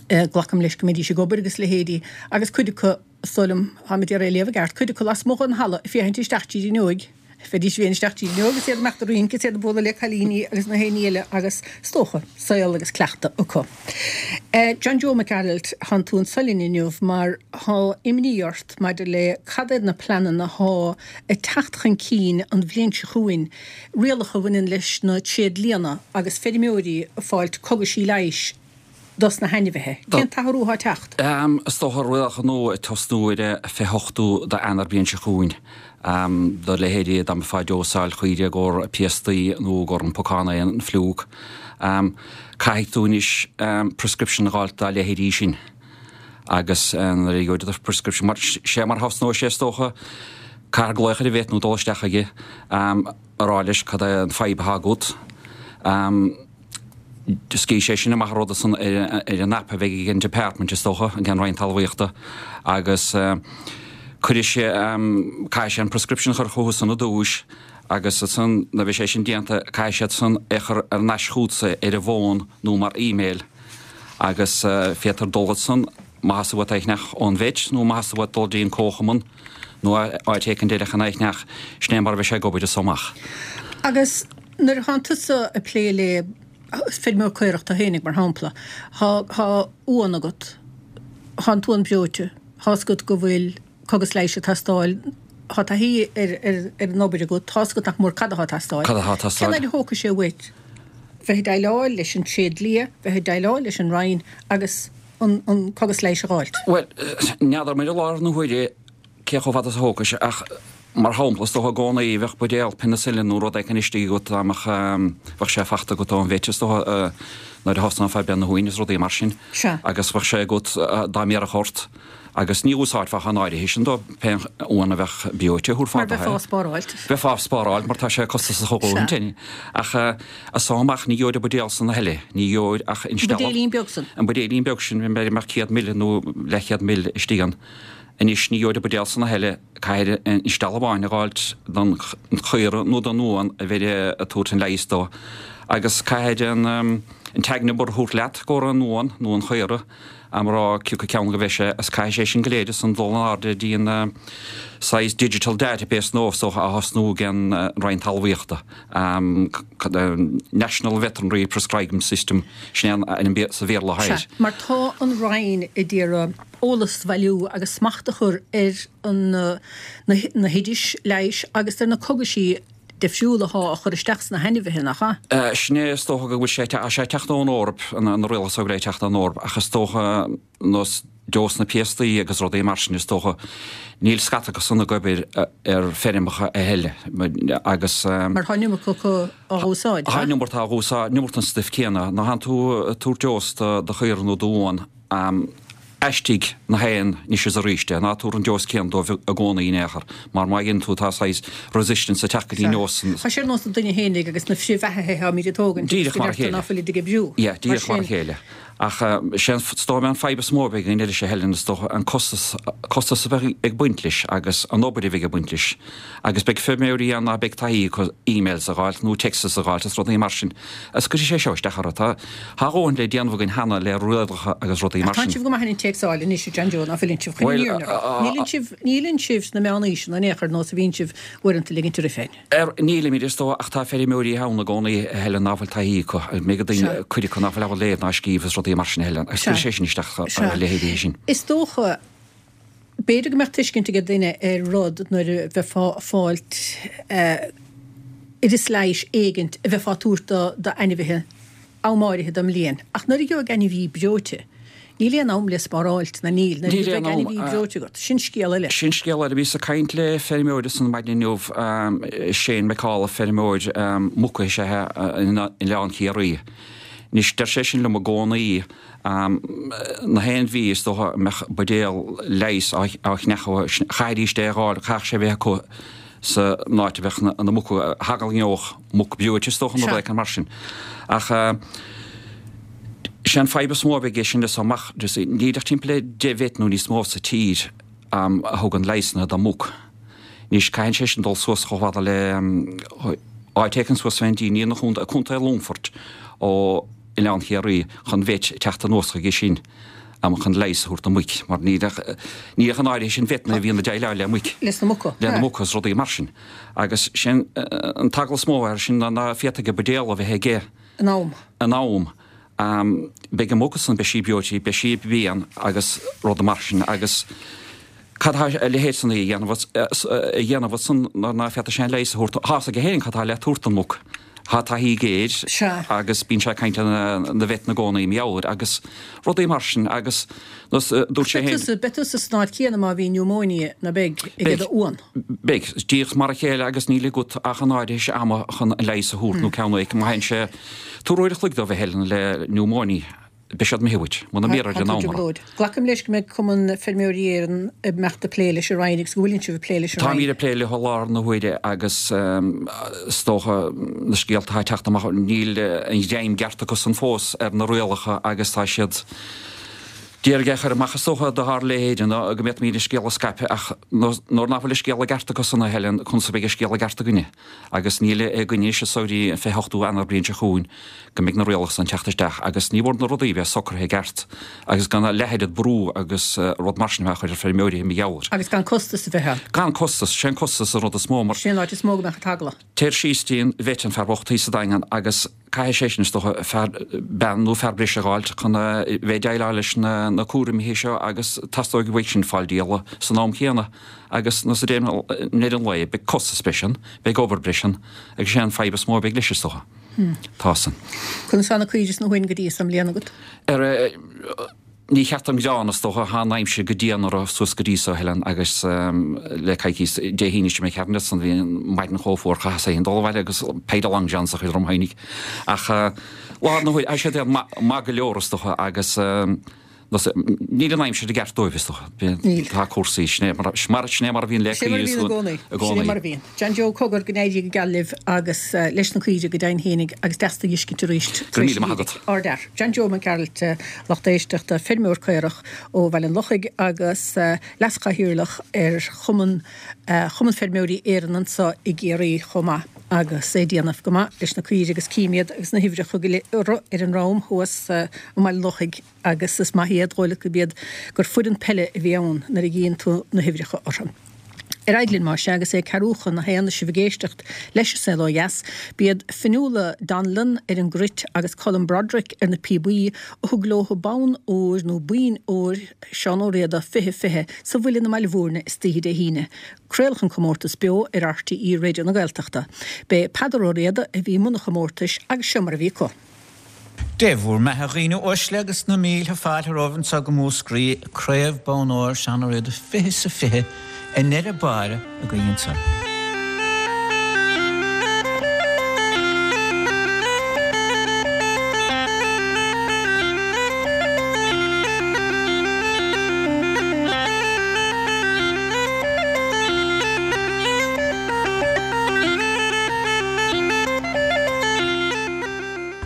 Glacaim leis go mbeidís ag obair agus leithéidí, agus cuid acu, is dóigh liom, táim ag iarraidh é a léamh i gceart, cuid acu lasmuigh den halla ag féachaint isteach tríd an fhuinneoig, bheidís ag féachaint isteach tríd an fhuinneoig is iad ag imeacht ag rince is iad ag bualadh le cailíní agus na héinní eile agus, is dócha, saol agus cleachtadh acu. John Joe Mac Gearailt, thánn tú anso linn inniu mar thá imní ort maidir le cad iad na pleananna thá ag teacht chun cinn an bhliain seo chugainn, rialacha a bhaineann leis na tréidlianna agus feirmeoirí ag fáilt cogaisí leighis dos na hainmhithe. Cén t-athrú atá ag teacht? Is dócha rialacha nua ag tosnú ar an 28ú d'Eanáir bliain seo chugainn. Do leithéidí dá mbeifeá ag dósáil caoire i gcomhair piastaí nó i gcomhair an pocán é an fliúc. Caithfidh tú anois prescription a dh'fháilt dá leithéidí sin. Agus nuair a gheobhaidh tú do prescription, mar sé mar thosnóidh sé is dócha, caithfear glaoch ar an vet nó dul isteach chuige, a rá leis cad é an fadhb atá agat. Scaoilfidh sé sin amach an rud san ar an app a bheidh ag an Department is dócha, ag an Roinn Talmhaíochta, agus cuirfidh sé, caithfidh sé an prescription a chur chucu san i dtúis agus ansan nuair a bheidh sé sin déanta caithfidh siad san é a chur ar n-ais chugatsa ar an bhfón nó mar email agus féadtar dul ansan má theastaíonn uait é a cheannach ón vet nó má theastaíonn uait dul dtí an comharchumann nó áit éicint eile chun é a cheannach, sin é mar a bheidh sé ag obair as so amach. Agus nuair a thánn tusa ag plé le feirmeoir caorach tú fhéinig, mar shampla, thá, thá uan agat, thá an t-uan breoite, thá's agat go bhfuil cogas leighis ag teastáil, thá taithí ar, ar, ar an obair agat, tá's agat nach mór cad athá ag teastáil. Cad athá ag teastáil. Cén fhaid a thógfaidh sé uait bheith ag déileáil leis an tréidlia, bheith ag déileáil leis an Roinn agus an, an cogas leighis a dh'fháilt? Bhuel, n'fheadar mé i láthair na huaire cé chomh fada is a thógfaidh sé ach mar shampla is dócha i gcónaí bheadh buidéal penicillin nó rud éicint istigh agat dá mbeadh, bheadh sé fachta agat ón vet is dócha nuair a thosnófá ag breith na huain is rudaí mar sin. Sea. Agus bheadh sé agat dá mbéarfadh ort agus ní úsáidfeá ach an áirithe sin dó pé uan a bheadh breoite thabharfá Mar do bheifeá á spáráilt. Bheifeá á spáráilt mar tá sé costasach a dhóthain. Sea. Ach as so amach ní gheobhair an buidéal san a thuilleadh, ní gheobhair ach An buidéilín beag san. An buidéilín beag sin, b'fhéidir go mbeadh 100 ml nó leathchéad ml istigh ann. Anois ní gheobhair an buidéal san a thuilleadh, caithfir an steall amháin a dh'fháilt don chaora nó don uan a bheir ag tabhairt an leighis dó agus caithfir an tag number a thabhairt leat i gcomhair an uan nó an chaora am rá cioca ceann go bheidh sé agus caithfidh sé sin go léir ansan dul in airde dtí an saghas digital database nua is dócha á thosnú ag an Roinn Talmhaíochta, National Veterinary Prescribing System, sin é an ainm sa Bhéarla atá air. Sea, mar tá an Roinn ag iarraidh eolas a bhailiú agus smacht a chur ar na hoidis leighis agus ar na cogaisí difriúla athá á chur isteach sna hainmhithe, nach ea? Sin é, is dócha go bhfuil sé, tá sé ag teacht ón Eoraip, na rialacha so go léir ag teacht ón Eoraip, ach is dócha nós dos na piastaí agus rudaí mar sin, is dócha, níl scata acu san ag obair ar feirmeacha a thuilleadh agus. Mar tá an iomarca acu á úsáid, Tá an iomarca á úsáid, an iomarca den stuif céanna. Nuair a thánn tú ag tabhairt dós do chaora nó d'uan. Aistrigh na haon anois is arís é, ná tabhair an dose céanna dóibh i gcónaí in aon chor, mar má dhéanann tú tá saghas resistance ag teacht go dtí an dose san. Tá sé ar nós an duine fhéinig agus na frithbheathaithe atáimid ag tógaint agus go deirtear ná fuilid ag oibriú. Yeah, díreach mar a chéile. Ach sé an, is dóigh an fadhb is mó a bheidh againn arís a Helen, is dócha, an costas, costas a bheidh ag baint leis agus an obair a bheidh ag baint leis. Agus beidh feirmeoirí ann ná beidh taithí acu emails a dh'fháilt nó texts a dh'fháilt is rudaí mar sin. Agus cuirfidh sé seo isteach orthu. Tá a dhóthain le déanamh againn cheana le rialacha agus rudaí mar sin. Ach tánn sibh go maith ar an téacsáil anois, a John Joe, ná fuileann sibh? Chun an fhírinne a rá, níleann sibh, níleann sibh sna meánaoiseanna in aon chor nós a bhíonn sibh uaireanta ligint oraibh féin. Ar, nílimid, is dóigh, ach tá feirmeoirí ann i gcónaí, a Helen, ná fuil taithí acu, mbeidh daoine, cuid acu ná fuil ábalta léamh ná scríobh is rudaí mar sin, a Helen, agus cuirfidh sé sin isteach ar a leithéidí sin. Is dócha. B'fhéidir go mbeadh tuiscint ag duine ar rud nuair a bheifeá ag fáilt oideas leighis éigint a bheifeá ag tabhairt d'ainmhithe am áirithe den mbliain. Ach nuair a gheobhaidh ainmhí breoite, níl aon am le spáráilt, ná níl? Nuair a bheidh ainmhí breoite agat, sin scéal eile. Sin scéal eile. Bhíos ag caint le feirmeoir ansan maidin inniu, Shane McAuliffe, feirmeoir muca is ea é in Oileán Ciarraí. Anois, deir sé sin liom i gcónaí, Na haon mhí is dócha a mbeadh buidéal leighis á chneachadh, chaithfidís é a dh'fháil, chaithfeadh sé a bheith acu san áit a bheadh na muca, tharraingeodh muc breoite is dócha nó rud éicint mar sin. Ach sé an fadhb is mó a bheidh aige sin leis amach, níl ach timpeall le 10 vet nó níos mó sa tír a thugann leigheasanna do mhuc. Anois caitheann sé sin dul suas chomh fada le áit éicint suas fén dtír, ní ina chontae, Contae Longfoirt ó Oileán Chiarraí chun vet teacht anuas chuige sin chun leigheas a thabhairt do mhuic mar níl ach ní ach an áirithe sin vetanna a bhíonn ag déileáil le muic. Leis na muca. Le na muca is rudaí mar sin. Agus sin an t-eagla is mó air sin ná ná féadfaidh an buidéal a bheith aige. In am. In am. Beidh an mhuc san, beidh sí breoite, beidh sí ag pian agus rudaí mar sin agus cad tá a leithéid san a dhéanamh a dhéanamh ansan nuair ná féadfaidh sé an leigheas a thabhairt. Tá fhios aige féin cad tá le tabhairt don mhuc. Tá taithí aige air agus bíonn sé ag caint le na vetanna i gcónaí mar gheall air agus rudaí mar sin agus dúirt sé féin. Beidh tusa san áit chéanna má bhí pneumóinia ná beidh ag do uan. Beidh. Díreach mar a chéile agus níl agat ach an áirithe ama chun an leigheas a thabhairt nó ceann éicint má théann sé tabhair uair a chloig dóibh a Helen le pneumóinia. Beidh siad imithe uait, muna mbiorra ar an am orthu. Glacaim leis go mbeidh Cumann Feirmeoirí Éireann ag imeacht ag plé leis an Roinn agus go bhfuileann sibh ag plé leis an Roinn. Táimid ag plé leo i láthair na huaire agus is dócha na scéalta atá ag teacht amach, níl an ghreim gceart acusan fós ar na rialacha agus tá siad d'iarraidh é a chur amach is dócha dár leithéid go bhféadfaimid an scéal a scaipeadh ach nuair nach bhfuil an scéal i gceart acusan a Helen, conas a bheidh an scéal i gceart againne? Agus níl againn anois anso go dtí an 28ú Eanáir bliain seo chugainn go mbeidh na rialacha san teacht isteach agus ní mór na rudaí a bheith socraithe i gceart agus gan a leath-oiread brú agus rud mar sin a bheith á chur ar feirmeoirí mar gheall air. Agus gan costas a bheith ann. Gan costas, sé an costas an rud is mó mar. Sé an áit is mó go mbeadh an t-eagla. Téir síos dtí an vet an fear bocht thíos sa Daingean agus caithfidh sé sin is dócha fear, bean nó fear breise a dh'fháilt chun a bheith ag déileáil leis na na cúraimí seo agus teastóidh uaidh sin fáil díola san am chéanna agus nó sa deireadh an lae beidh costas breise ann, beidh obair breise ann agus sé an fadhb is mó a bheidh leis is dócha. Tá san. Conas tá na caoirigh is na huain go dtí so i mbliana agat? Ar Ní cheart dom gearán, is dócha. Tá an aimsir go dian orthu suas go dtí so, a Helen, agus le coicís, Dé hAoine seo imigh tharainn ansan, bhí an maidin chomh fuar, chaitheas féin dul abhaile agus péire long johns a chur orm fhéinig. Ach láthair na huaire, tá siad maith go leor, is dócha, agus níl an aimsir i gceart dóibh, is dócha. Níl. Tá cúrsaí, sin é mar, sin é mar a bhíonn le Sin é mar a bhíonn i gcónaí. I gcónaí. Sin é mar a bhíonn. John Joe, cogar, go n-éirí go geal libh agus leis na caoirigh go deimhin fhéinig agus deas tú a dh'fheiscint arís Go raibh míle maith agat. Ardfhear. John Joe Mac Gearailt, lucht éisteachta, feirmeoir caorach ó Bhaile an Lochaigh agus leaschathaoirleach ar Chumann Chumann Feirmeoirí Éireann anso i gCiarraí chomh maith agus é ag déanamh go maith leis na caoirigh agus cím iad agus na huimhreacha go léir ar an ndrom thuas i mBaile an Lochaigh agus is maith iad, dhóigh leat gurb iad gur foireann peile a bhí ann nuair a dhíonn tú na huimhreacha orthu. Ar aghaidh linn, más ea, agus é ceathrú chun a haon is sibh ag éisteacht leis An Saol Ó Dheas. B'iad Fionnuala Donnellan ar an gcruit agus Colm Broderick ar na píobaí a thug leo bonn óir nó boinn óir Seán Ó Riada 20 20 sa Mhuileann i mBaile Bhúirne istoíche Dé hAoine. Craoladh an comórtas beo ar RTÉ Raidió na Gaeltachta. B'é Peadar Ó Riada a bhí i mbun an chomórtais agus seo mar a bhí acu. Dé bhúr mbeatha a dhaoine uaisle agus na mílte fáilte romhaibh anseo go Múscraí, Craobh Bonn Óir Seán Ó Riada 20 sa 20 i ndeireadh báire againn anseo.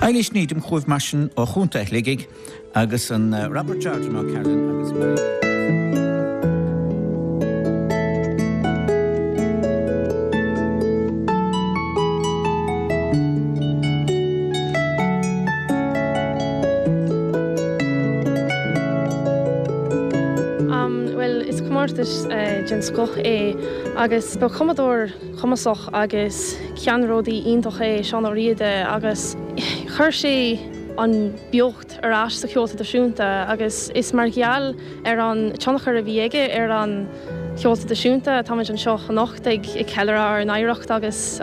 Eilís Needham chugaibh mar sin ó Chontae Shligigh agus an Robert Jordan O'Carolan agus Mary Lee. Bhuel, is comórtas den scoth é agus ba chumadóir cumasach agus ceannródaí iontach é Seán Ó Riada agus chuir sé an beocht ar ais sa cheol traidisiúnta agus is mar gheall ar an tionchar a bhí aige ar an cheol traidisiúnta atáimid anseo anocht ag ceiliúradh ár n-oidhreacht agus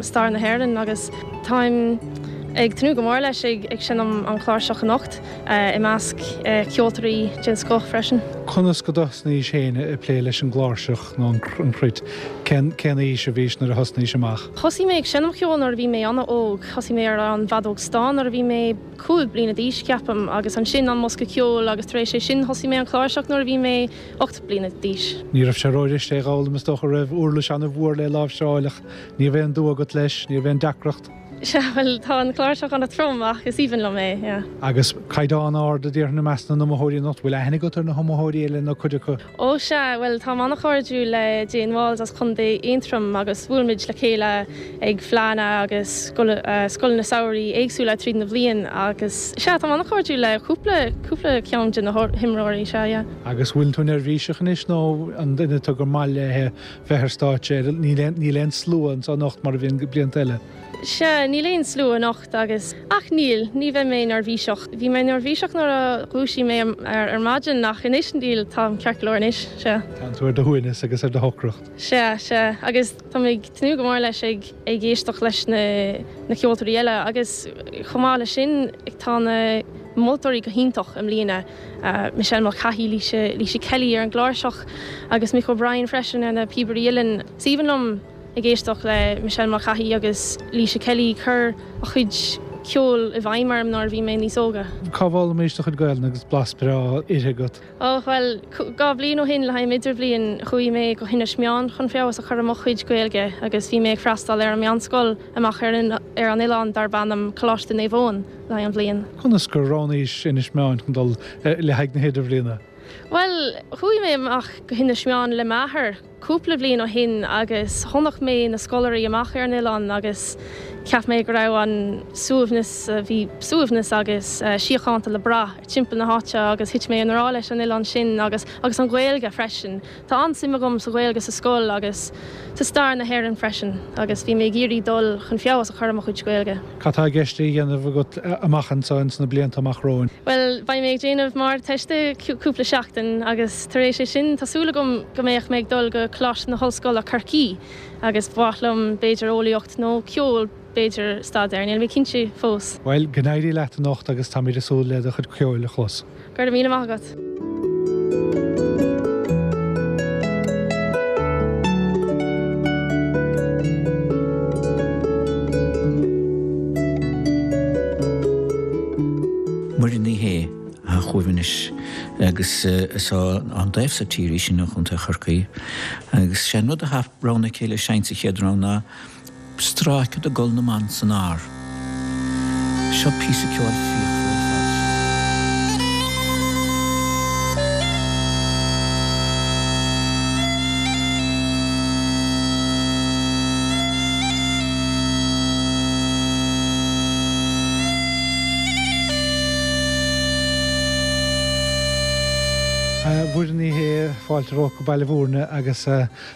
stair na hÉireann agus táim ag tnúth go mór leis ag seinm an chláirseach anocht i measc ceoltóirí den scoth freisin. Conas go dtosnaís féin ag plé leis an gcláirseach nó an chruit? Cén aois a bhís nuair a thosnaís amach? Thosaigh mé ag seinm cheoil nuair a bhí mé an-óg. Thosaigh mé ar an bhfeadóg stáin nuair a bhí mé 5 bliana d'aois, ceapaim, agus ansin an bosca ceoil agus tar éis é sin thosaigh mé an chláirseach nuair a bhí mé 8 bliana d'aois. Ní raibh sé róghairist é a dh'fhoghlaim is dócha, raibh uirlis an-mhór le láimhseáil ach ní raibh aon dua agat leis, ní raibh aon deacracht. Sea, bhuel, tá an chláirseach an-trom ach is aoibhinn liom é, yeah. Agus caighdeán ard a déarfainn i measc na n-iomaitheoirí anocht, bhfuil aithne agat ar na hiomaitheoirí eile nó cuid acu? Ó sea, bhuel, táim an-chairdiúil le Jane Walls as Contae Aontroim agus bhuail muid le chéile ag fleánna agus scoileanna samhraidh éagsúla tríd na bhliain agus sea, táim an-chairdiúil le cúpla, cúpla ceann de na himreoirí, sea, yeah. Agus bhfuil tú neirbhíseach anois nó an duine tú gur maith léi bheith ar stáitse, níl aon slua anseo anocht mar a bhíonn blianta eile? Sea, níl aon slua anocht agus, ach níl, ní bheidh mé neirbhíseach. Bhí mé neirbhíseach nuair a dhúisigh mé ar maidin ach anois níl, táim ceart go leor anois, sea. Tánn tú ar do shuaimhneas agus ar do shocracht. Sea, sea, agus táim ag tnúth go mór leis ag ag éisteacht leis na na ceoltóirí eile agus chomh maith leis sin tá na moltóirí go hiontach i mbliana, Michelle Mulcahy, Laoise, Laoise Kelly ar an gcláirseach agus Mick O'Brien freisin ar na píobairí uilleann. Is aoibhinn liom ag éisteacht le Michelle Mulcahy agus Laoise Kelly, chuir a chuid ceoil i bhfeidhm orm nuair a bhí mé níos óga. Cá bhfoghlaimís do chuid Gaelainne agus blas breá uirthi agat? Ó, bhuel, 2 bhliain ó shin le haghaidh m'Idirbhliain chuaigh mé go hInis Meáin chun feabhas a chur ar mo chuid Gaeilge agus bhí mé ag freastal ar an meánscoil amach ar an ar an oileán darb ainm Coláiste Naomh Eoin le haghaidh an bhliain. Conas gur roghnaís Inis Meáin chun dul le haghaidh na hIdirbhliana? Bhuel, chuaigh mé amach go hInis Meáin le m'athair. cúpla bliain ó shin agus chonaic mé na scoláirí amach ar an oileán agus cheap mé go raibh an suaimhneas, bhí suaimhneas agus síochánta le brath timpeall na háite agus thit mé i ngrá leis an oileán sin agus agus an Ghaeilge freisin. Tá an-suim agam sa Ghaeilge sa scoil agus sa stair na hÉireann freisin agus bhí mé ag iarraidh dul chun feabhas a chur ar mo chuid Gaeilge. Cad tá i gceist a dhéanamh agat amach anseo ins na blianta amach romhainn? Bhuel, beidh mé ag déanamh m'Ardteiste cúpla seachtain agus tar éis é sin tá súil agam go mbeadh mé ag dul go Coláiste na hOllscoile Corcaigh agus ba mhaith liom b'fhéidir eolaíocht nó ceol b'fhéidir staidéar, níl mé cinnte fós. Bhuel, go n-éirí leat anocht agus táimid ag súil le do chuid ceoil a chlos. Go raibh míle maith agat. Muireann Ní Shé atá chugaibh anois agus is ón dtaobh so tíre í sin ó Chontae Chorcaí agus sé an rud atá roghnaithe aici le seinnt sa chéad rogha ná Stráice de Gol na mBan san Ár. Seo píosa ceoil fíochmhar ar fad. A Mhuireann Ní Shé, fáilte romhat go Baile Bhúirne agus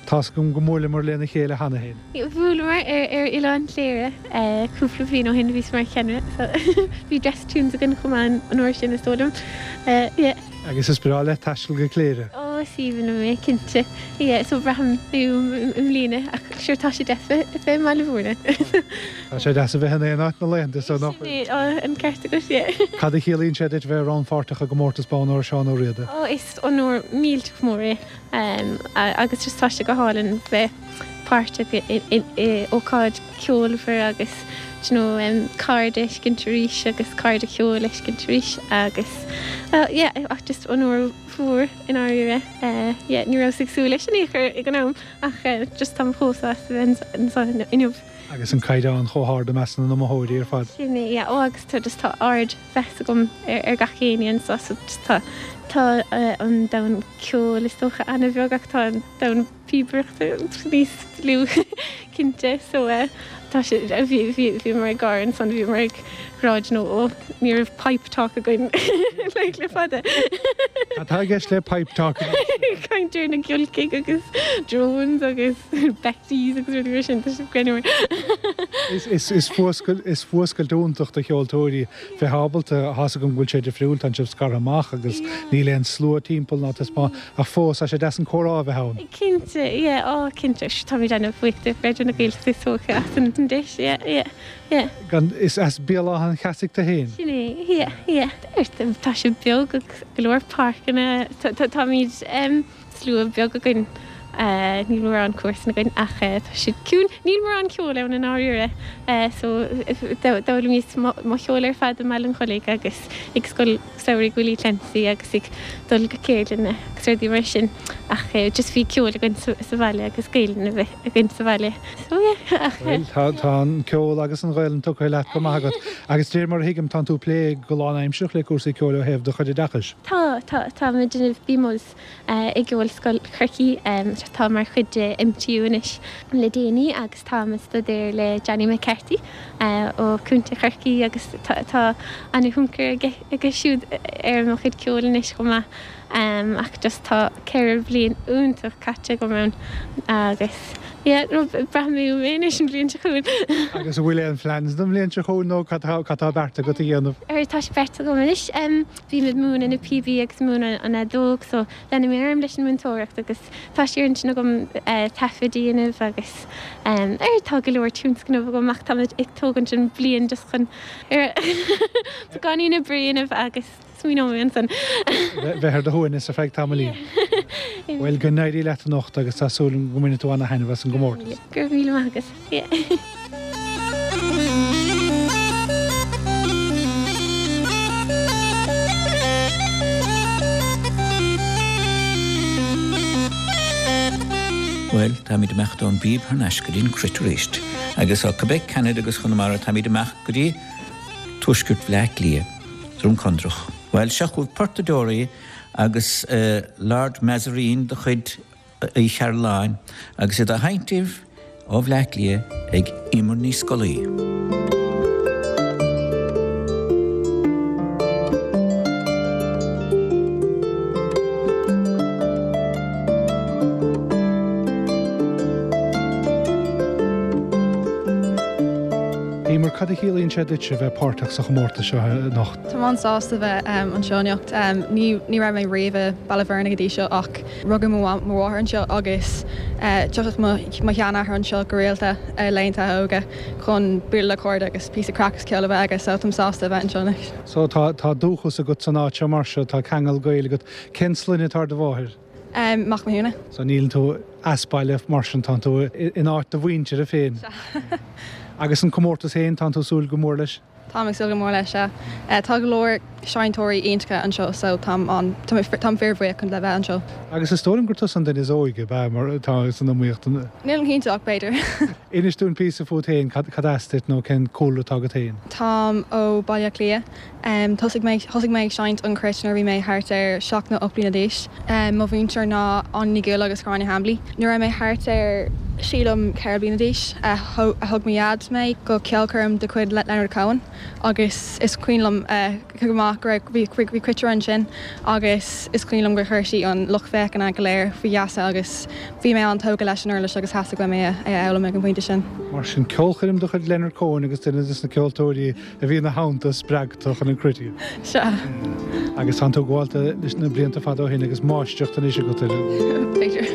tá's agam go mbuaileamar lena chéile cheana féin. Bhuaileamar ar Oileán Chléire cúpla bliain ó shin, bhíos mar cheannaire so bhí dress tunes againn chomh maith an uair sin is dóigh liom. Yeah. Agus is breá leat taisteal go Cléire? Ó is aoibhinn liom é, cinnte. Yeah, so braithim uaim i mbliana ach sure tá sé deas bheith i mBaile Bhúirne. Tá sé deas a bheith in aon áit na laethanta so nach bhfuil? Sin é, an ceart agat, yeah. Cad a chiallaíonn sé duit bheith rannpháirteach i gcomórtas Bonn Óir Seán Ó Riada? Ó is onóir millteach mór é agus just tá sé go hálainn bheith páirteach i ócáid ceolmhar agus do you know cairde a fheiscint arís agus cairde ceoil a fheiscint arís agus yeah ach just onóir mhór i ndáiríre yeah ní rabhas ag súil leis in aon chor ag an am ach just táim chomh sásta a bheith anseo inniu. Agus an caighdeán chomh hard i measc na n-iomaitheoirí ar fad. Sin é, yeah. Ó agus tá just tá ardmheas agam ar gach éinne anseo so just tá tá an domhan ceoil is dócha an-bheag ach tá an domhan píobaireachta níos lú cinnte so tá sé bhí bhí bhíomar ag gáire ansan bhíomar ag rá you know ó ní raibh pipe talk againn like le fada. Cad tá i gceist le pipe talk? Caint ar na giolcaigh agus drones agus Becties agus rudaí mar sin tá sé greannmhar. Is is is fuascailt is fuascailt iontach do cheoltóirí bheith ábalta tá's agam go bhfuil sé difriúil tánn sibh scartha amach agus níl aon slua timpeall ná taispeáint Ach fós, tá sé deas an comhrá a bheith ann. Cinnte, yeah, á, cinnte. Táimid an-bhuíoch de Raidió na Gaeltachta is dócha as an deis, yeah, yeah, yeah. Gan, is as Béal Átha an Cheasaigh tú féin? Sin é, yeah, yeah. Tá sé beag agus go leor páirceanna, táimid, slua beag againn, níl mórán comharsan againn ach tá siad ciúin, níl mórán ceoil ann i ndáiríre so d'fhoghlaimíos mo cheol ar fad i mBaile an Chollaigh agus ag scoil samhraidh Willie Clancy agus ag dul go ceardlanna agus rudaí mar sin ach just bhí ceol againn sa bhaile agus Gaelainn a bheith againn sa bhaile so yeah ach. Bhuel tá tá an ceol agus an Ghaelainn tugtha leat go maith agat agus de réir mar a thuigim tánn tú ag plé go lánaimsearach le cúrsaí ceoil ó thaobh do chuid oideachais. Tá tá tá mé ag déanamh BMus i gCeolscoil Chorcaí atá mar chuid de MTU anois le déanaí agus táim ag staidéar le Johnny McCarthy ó Chontae Chorcaí agus tá an-thionchar aige siúd ar mo chuid ceoil anois chomh maith ach just tá 4 bhliain iontach caite agam ann agus yeah braithfidh mé uaim é anois an bhliain seo chugainn. Agus an bhfuil aon phleans don bhliain seo chugainn nó cad tá beartaithe agat a dhéanamh? Tá sé beartaithe agam anois. Bím ag múineadh na píobaí agus múineadh an fheadóg so leanfaidh mé orm leis an múinteoireacht agus tá sé ar intinn agam taifead a dhéanamh agus ar tá go leor tionscnamh agam ach tá mé ag tógaint an bliain just chun ar beagáinín oibre a dhéanamh agus smaoineoidh mé ansan. Bheith ar do shuaimhneas ar feadh tamaillín. Bhuel go n-éirí leat anocht agus tá súil agam go mbainfidh tú ana-thaitneamh as an gcomórtas. Go raibh míle maith agat. Bhuel, táimid ag imeacht ón bpíb thar n-ais go dtí an cruit arís. Agus ó Quebec, Ceanada agus Chonamara táimid ag imeacht go dtí tuaisceart Bhleá Cliath, Droim Conrach. Bhuel, seo chugaibh Portadóirí agus Lord Mazarine de chuid Uí Chairealláin agus iad á sheinnt daoibh ó Bhleá Cliath ag Emer Ní Scolaí. Emer, cad a chiallaíonn sé duitse a bheith páirteach sa chomórtas seo anocht? Táim an-sásta bheith anseo anocht. Ní raibh mé riamh i Baile Bhuirne go dtí seo ach Rugadh mo mháthair anseo agus tiocfadh mo sheanathair anseo go rialta i laethanta a óige chun bualadh le cairde agus píosa craic is ceol a bheith aige so táim sásta a bheith anseo anois. So tá tá dúchas agat san áit seo mar seo, tá ceangal gaoil agat. Cén sloinne atá ar do mháthair? Mac Mathúna. So níl tú as baile mar sin, tánn tú in áit do mhuintire féin. Sea. Agus an comórtas féin, tánn tú ag súil go mór leis? Táim ag súil go mór leis, sea. Tá go leor seinnteoirí iontacha anseo so táim an, táim fíorbhuíoch chun le bheith anseo. Agus is dóigh liom gur tusa an duine is óige, ab ea, mar atá san iomaíocht? Nílim cinnte ach b'fhéidir. Inis dúinn píosa fút féin, cad as duit nó cén cúlra atá agat féin? Táim ó Baile Átha Cliath. Thosaigh mé, thosaigh mé ag seinnt an chruit nuair a bhí mé thart ar seacht nó 8 bliana d'aois. Mo mhúinteoir ná Áine Ní Ghuaill agus Gráinne Hambly. Nuair a raibh mé thart ar, sílim, 4 bliana d'aois, thug mo dhaid mé go ceolchoirm de chuid Leonard Cohen agus is cuimhin liom go maith go raibh, bhí cruitire ansin agus is cuimhin liom gur chuir sí an lucht féachana go léir faoi gheasa agus bhí mé an-tógtha leis an uirlis agus theastaigh uaim é a fhoghlaim ag an bpointe sin. Mar sin, ceolchoirm de chuid Leonard Cohen agus duine de na ceoltóirí a bhí ina theannta a spreag tú chun an cruit a. Sea. Agus tánn tú gaolta leis na blianta fada ó shin agus máistreacht anois agat air. B'fhéidir.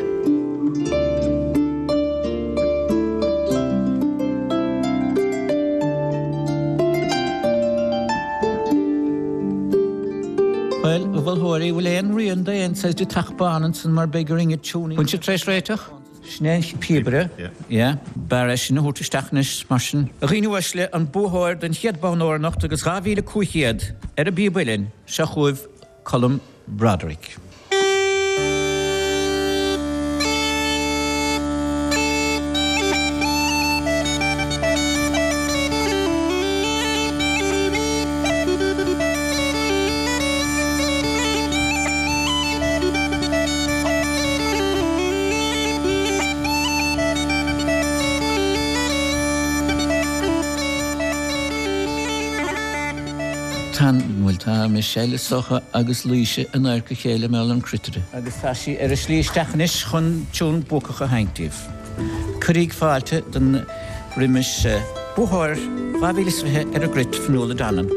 Bhuel, a mholtóirí, bhfuil aon rian d'aon saghas de theach bán ansan mar beidh orainn a tiúinín. Bhfuil sibh tar éis réiteach? Sin é an píobaire, yeah. B'fhearr é sin a thabhairt isteach anois, mar sin. A dhaoine uaisle, an buaitheoir den chéad bonn óir anocht agus 2,500 ar an bpíob uilleann, seo chugaibh Colm Broderick. Tá, bhuel tá Michelle is dócha agus Laoise in adharca a chéile mar gheall ar an chruitire. Agus tá sí ar a slí isteach anois chun tiún buacach a sheinnt daoibh. Cuiríg fáilte don roimis buathóir 2020 ar an gcruit, Fionnuala Donlan.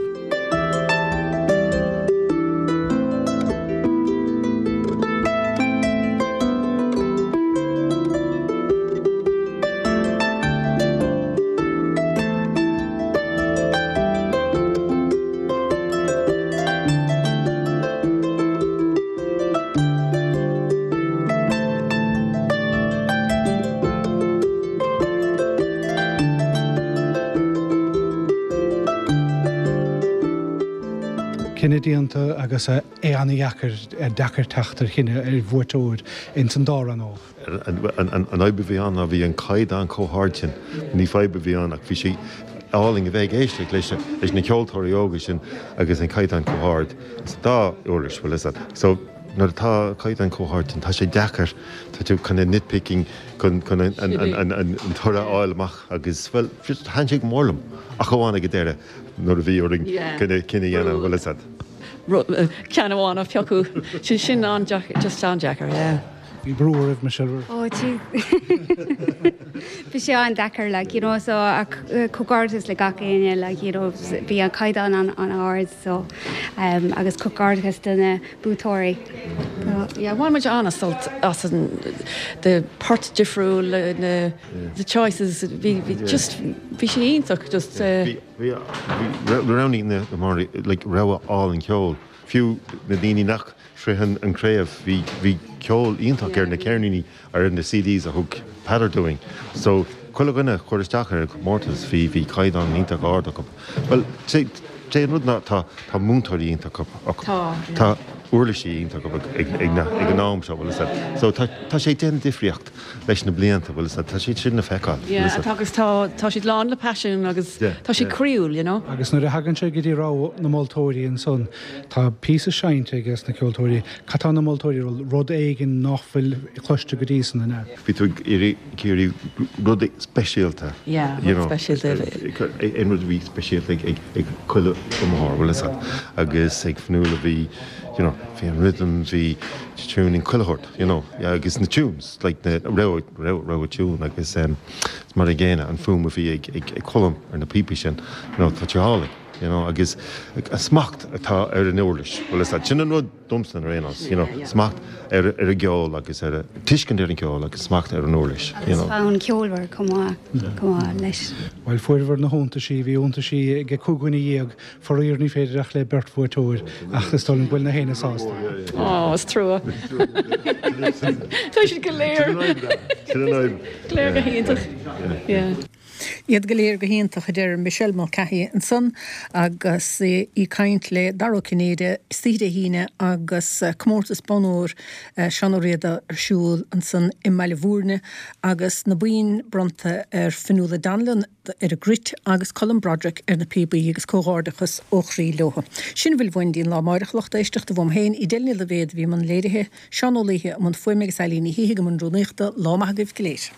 Cinneadh déanta agus é an-dheacair, deacair teacht ar chinneadh ar bhuaiteoir ins an dá rannóg. An fhadhb a bhí ann ná bhí an caighdeán chomh hard sin. Ní fadhb a bhí ann ach bhí sé álainn a bheith ag éisteacht leis leis na ceoltóirí óga sin agus an caighdeán chomh hard sa dá uirlis, bhfuil fhios agat. So nuair atá caighdeán chomh hard sin tá sé deacair, tá tú kind of nitpicking chun chun an an an toradh a fháil amach agus bhuel just thaitin sé go mór liom ach amháin ag an deireadh nuair a bhí orainn kind of cinneadh a dhéanamh, bhfuil fhios agat. Ceann amháin a phiocadh, sin sin an-deacair, just an-deacair, yeah. Bhí brú oraibh, Michelle. Ó, jeez. Bhí sé an-deacair, like, you know, so ach comhghairdeas le gach éinne, like, you know, bhí an caighdeán an-ard, so, um, agus comhghairdeas do na buaiteoirí. Yeah, bhain muid an-sult as an, the port difriúil, na, the choices, bhí, bhí just, bhí sé iontach, just, uh. Bhí, bhí, bhí, roghnaigh na, like, rogha álainn ceoil, fiú na daoine nach Shroich an chraobh. Bhí bhí ceol iontach ar na ceirníní ar na CDs a thug Peadar dúinn. So chuile dhuine a chuir isteach ar an chomórtas bhí bhí caighdeán iontach ard acu. Bhuel sé sé an rud ná tá tá múinteoirí iontach acu. Tá, yeah. Tá uirlisí iontach acu ag ag na ag an am seo bhfuil fhios agat. So tá tá sé ag déanamh difríocht leis na blianta bhfuil fhios agat. Tá siad sin le feiceáil bhfuil Yeah fhios agat. tá agus tá tá siad lán le paisean agus Yeah, tá siad yeah. croíúil you know. Agus nuair a thagann sé go dtí rogha na moltóirí ansan Tá píosa seinnte aige na ceoltóirí. Cad tá na moltóirí ag lorg? Rud éigin nach bhfuil cloiste go dtí san, an ea? Bhí tú ag iarraidh rud speisialta. Yeah, rud speisialta. Aon rud a bhí speisialta ag chuile iomaitheoir, bhfuil fhios agat. Agus ag Fionnuala bhí, you know, bhí an rhythm, bhí tuning, chuile shórt, you know, agus na tunes, like na rogha, rogha tune agus mar an gcéanna an fuaim a bhí ag Colm ar na píopaí sin, you know, tá sé álainn. You know, agus an smacht atá ar an uirlis, bhfuil fhios agat, sin an rud domsa ar aon nós, you know, smacht ar ar an gceol agus ar a, tuiscint ar an gceol agus smacht ar an uirlis, you Agus know. fonn ceolmhar chomh maith, chomh maith leis. Bhuel, fuaireabhair na hiontaisí, bhí iontaisí ag 15 dhuine, faraor ní féidir ach le beirt bhuaiteoir, ach is dóigh liom go bhfuil na héinne sásta. Ó, is trua. Tá siad go léir. Sin an fhadhb. Go léir go hiontach. Yeah. Iad go léir go hiontach, a deir Michelle Mulcahy ansan agus í ag caint le Dara Ó Cinnéide istoíche Dé hAoine agus comórtas Bonn Óir Seán Ó Riada ar siúl ansan i mBaile Bhúirne agus na boinn bronnta ar Fionnuala Donnellan ar an gcruit agus Colm Broderick ar na píobaí agus comhghairdeachas ó chroí leo. Sin a bhfuil uainn go dtí an lá amáireach a lucht éisteachta uaim féin, Edel Ní Loibhéad a bhí i mbun léirithe, Seán Ó Laoithe i mbun fuaime agus Eilín Ní Shíthigh i mbun rúnaíochta. Lá maith agaibh go léir.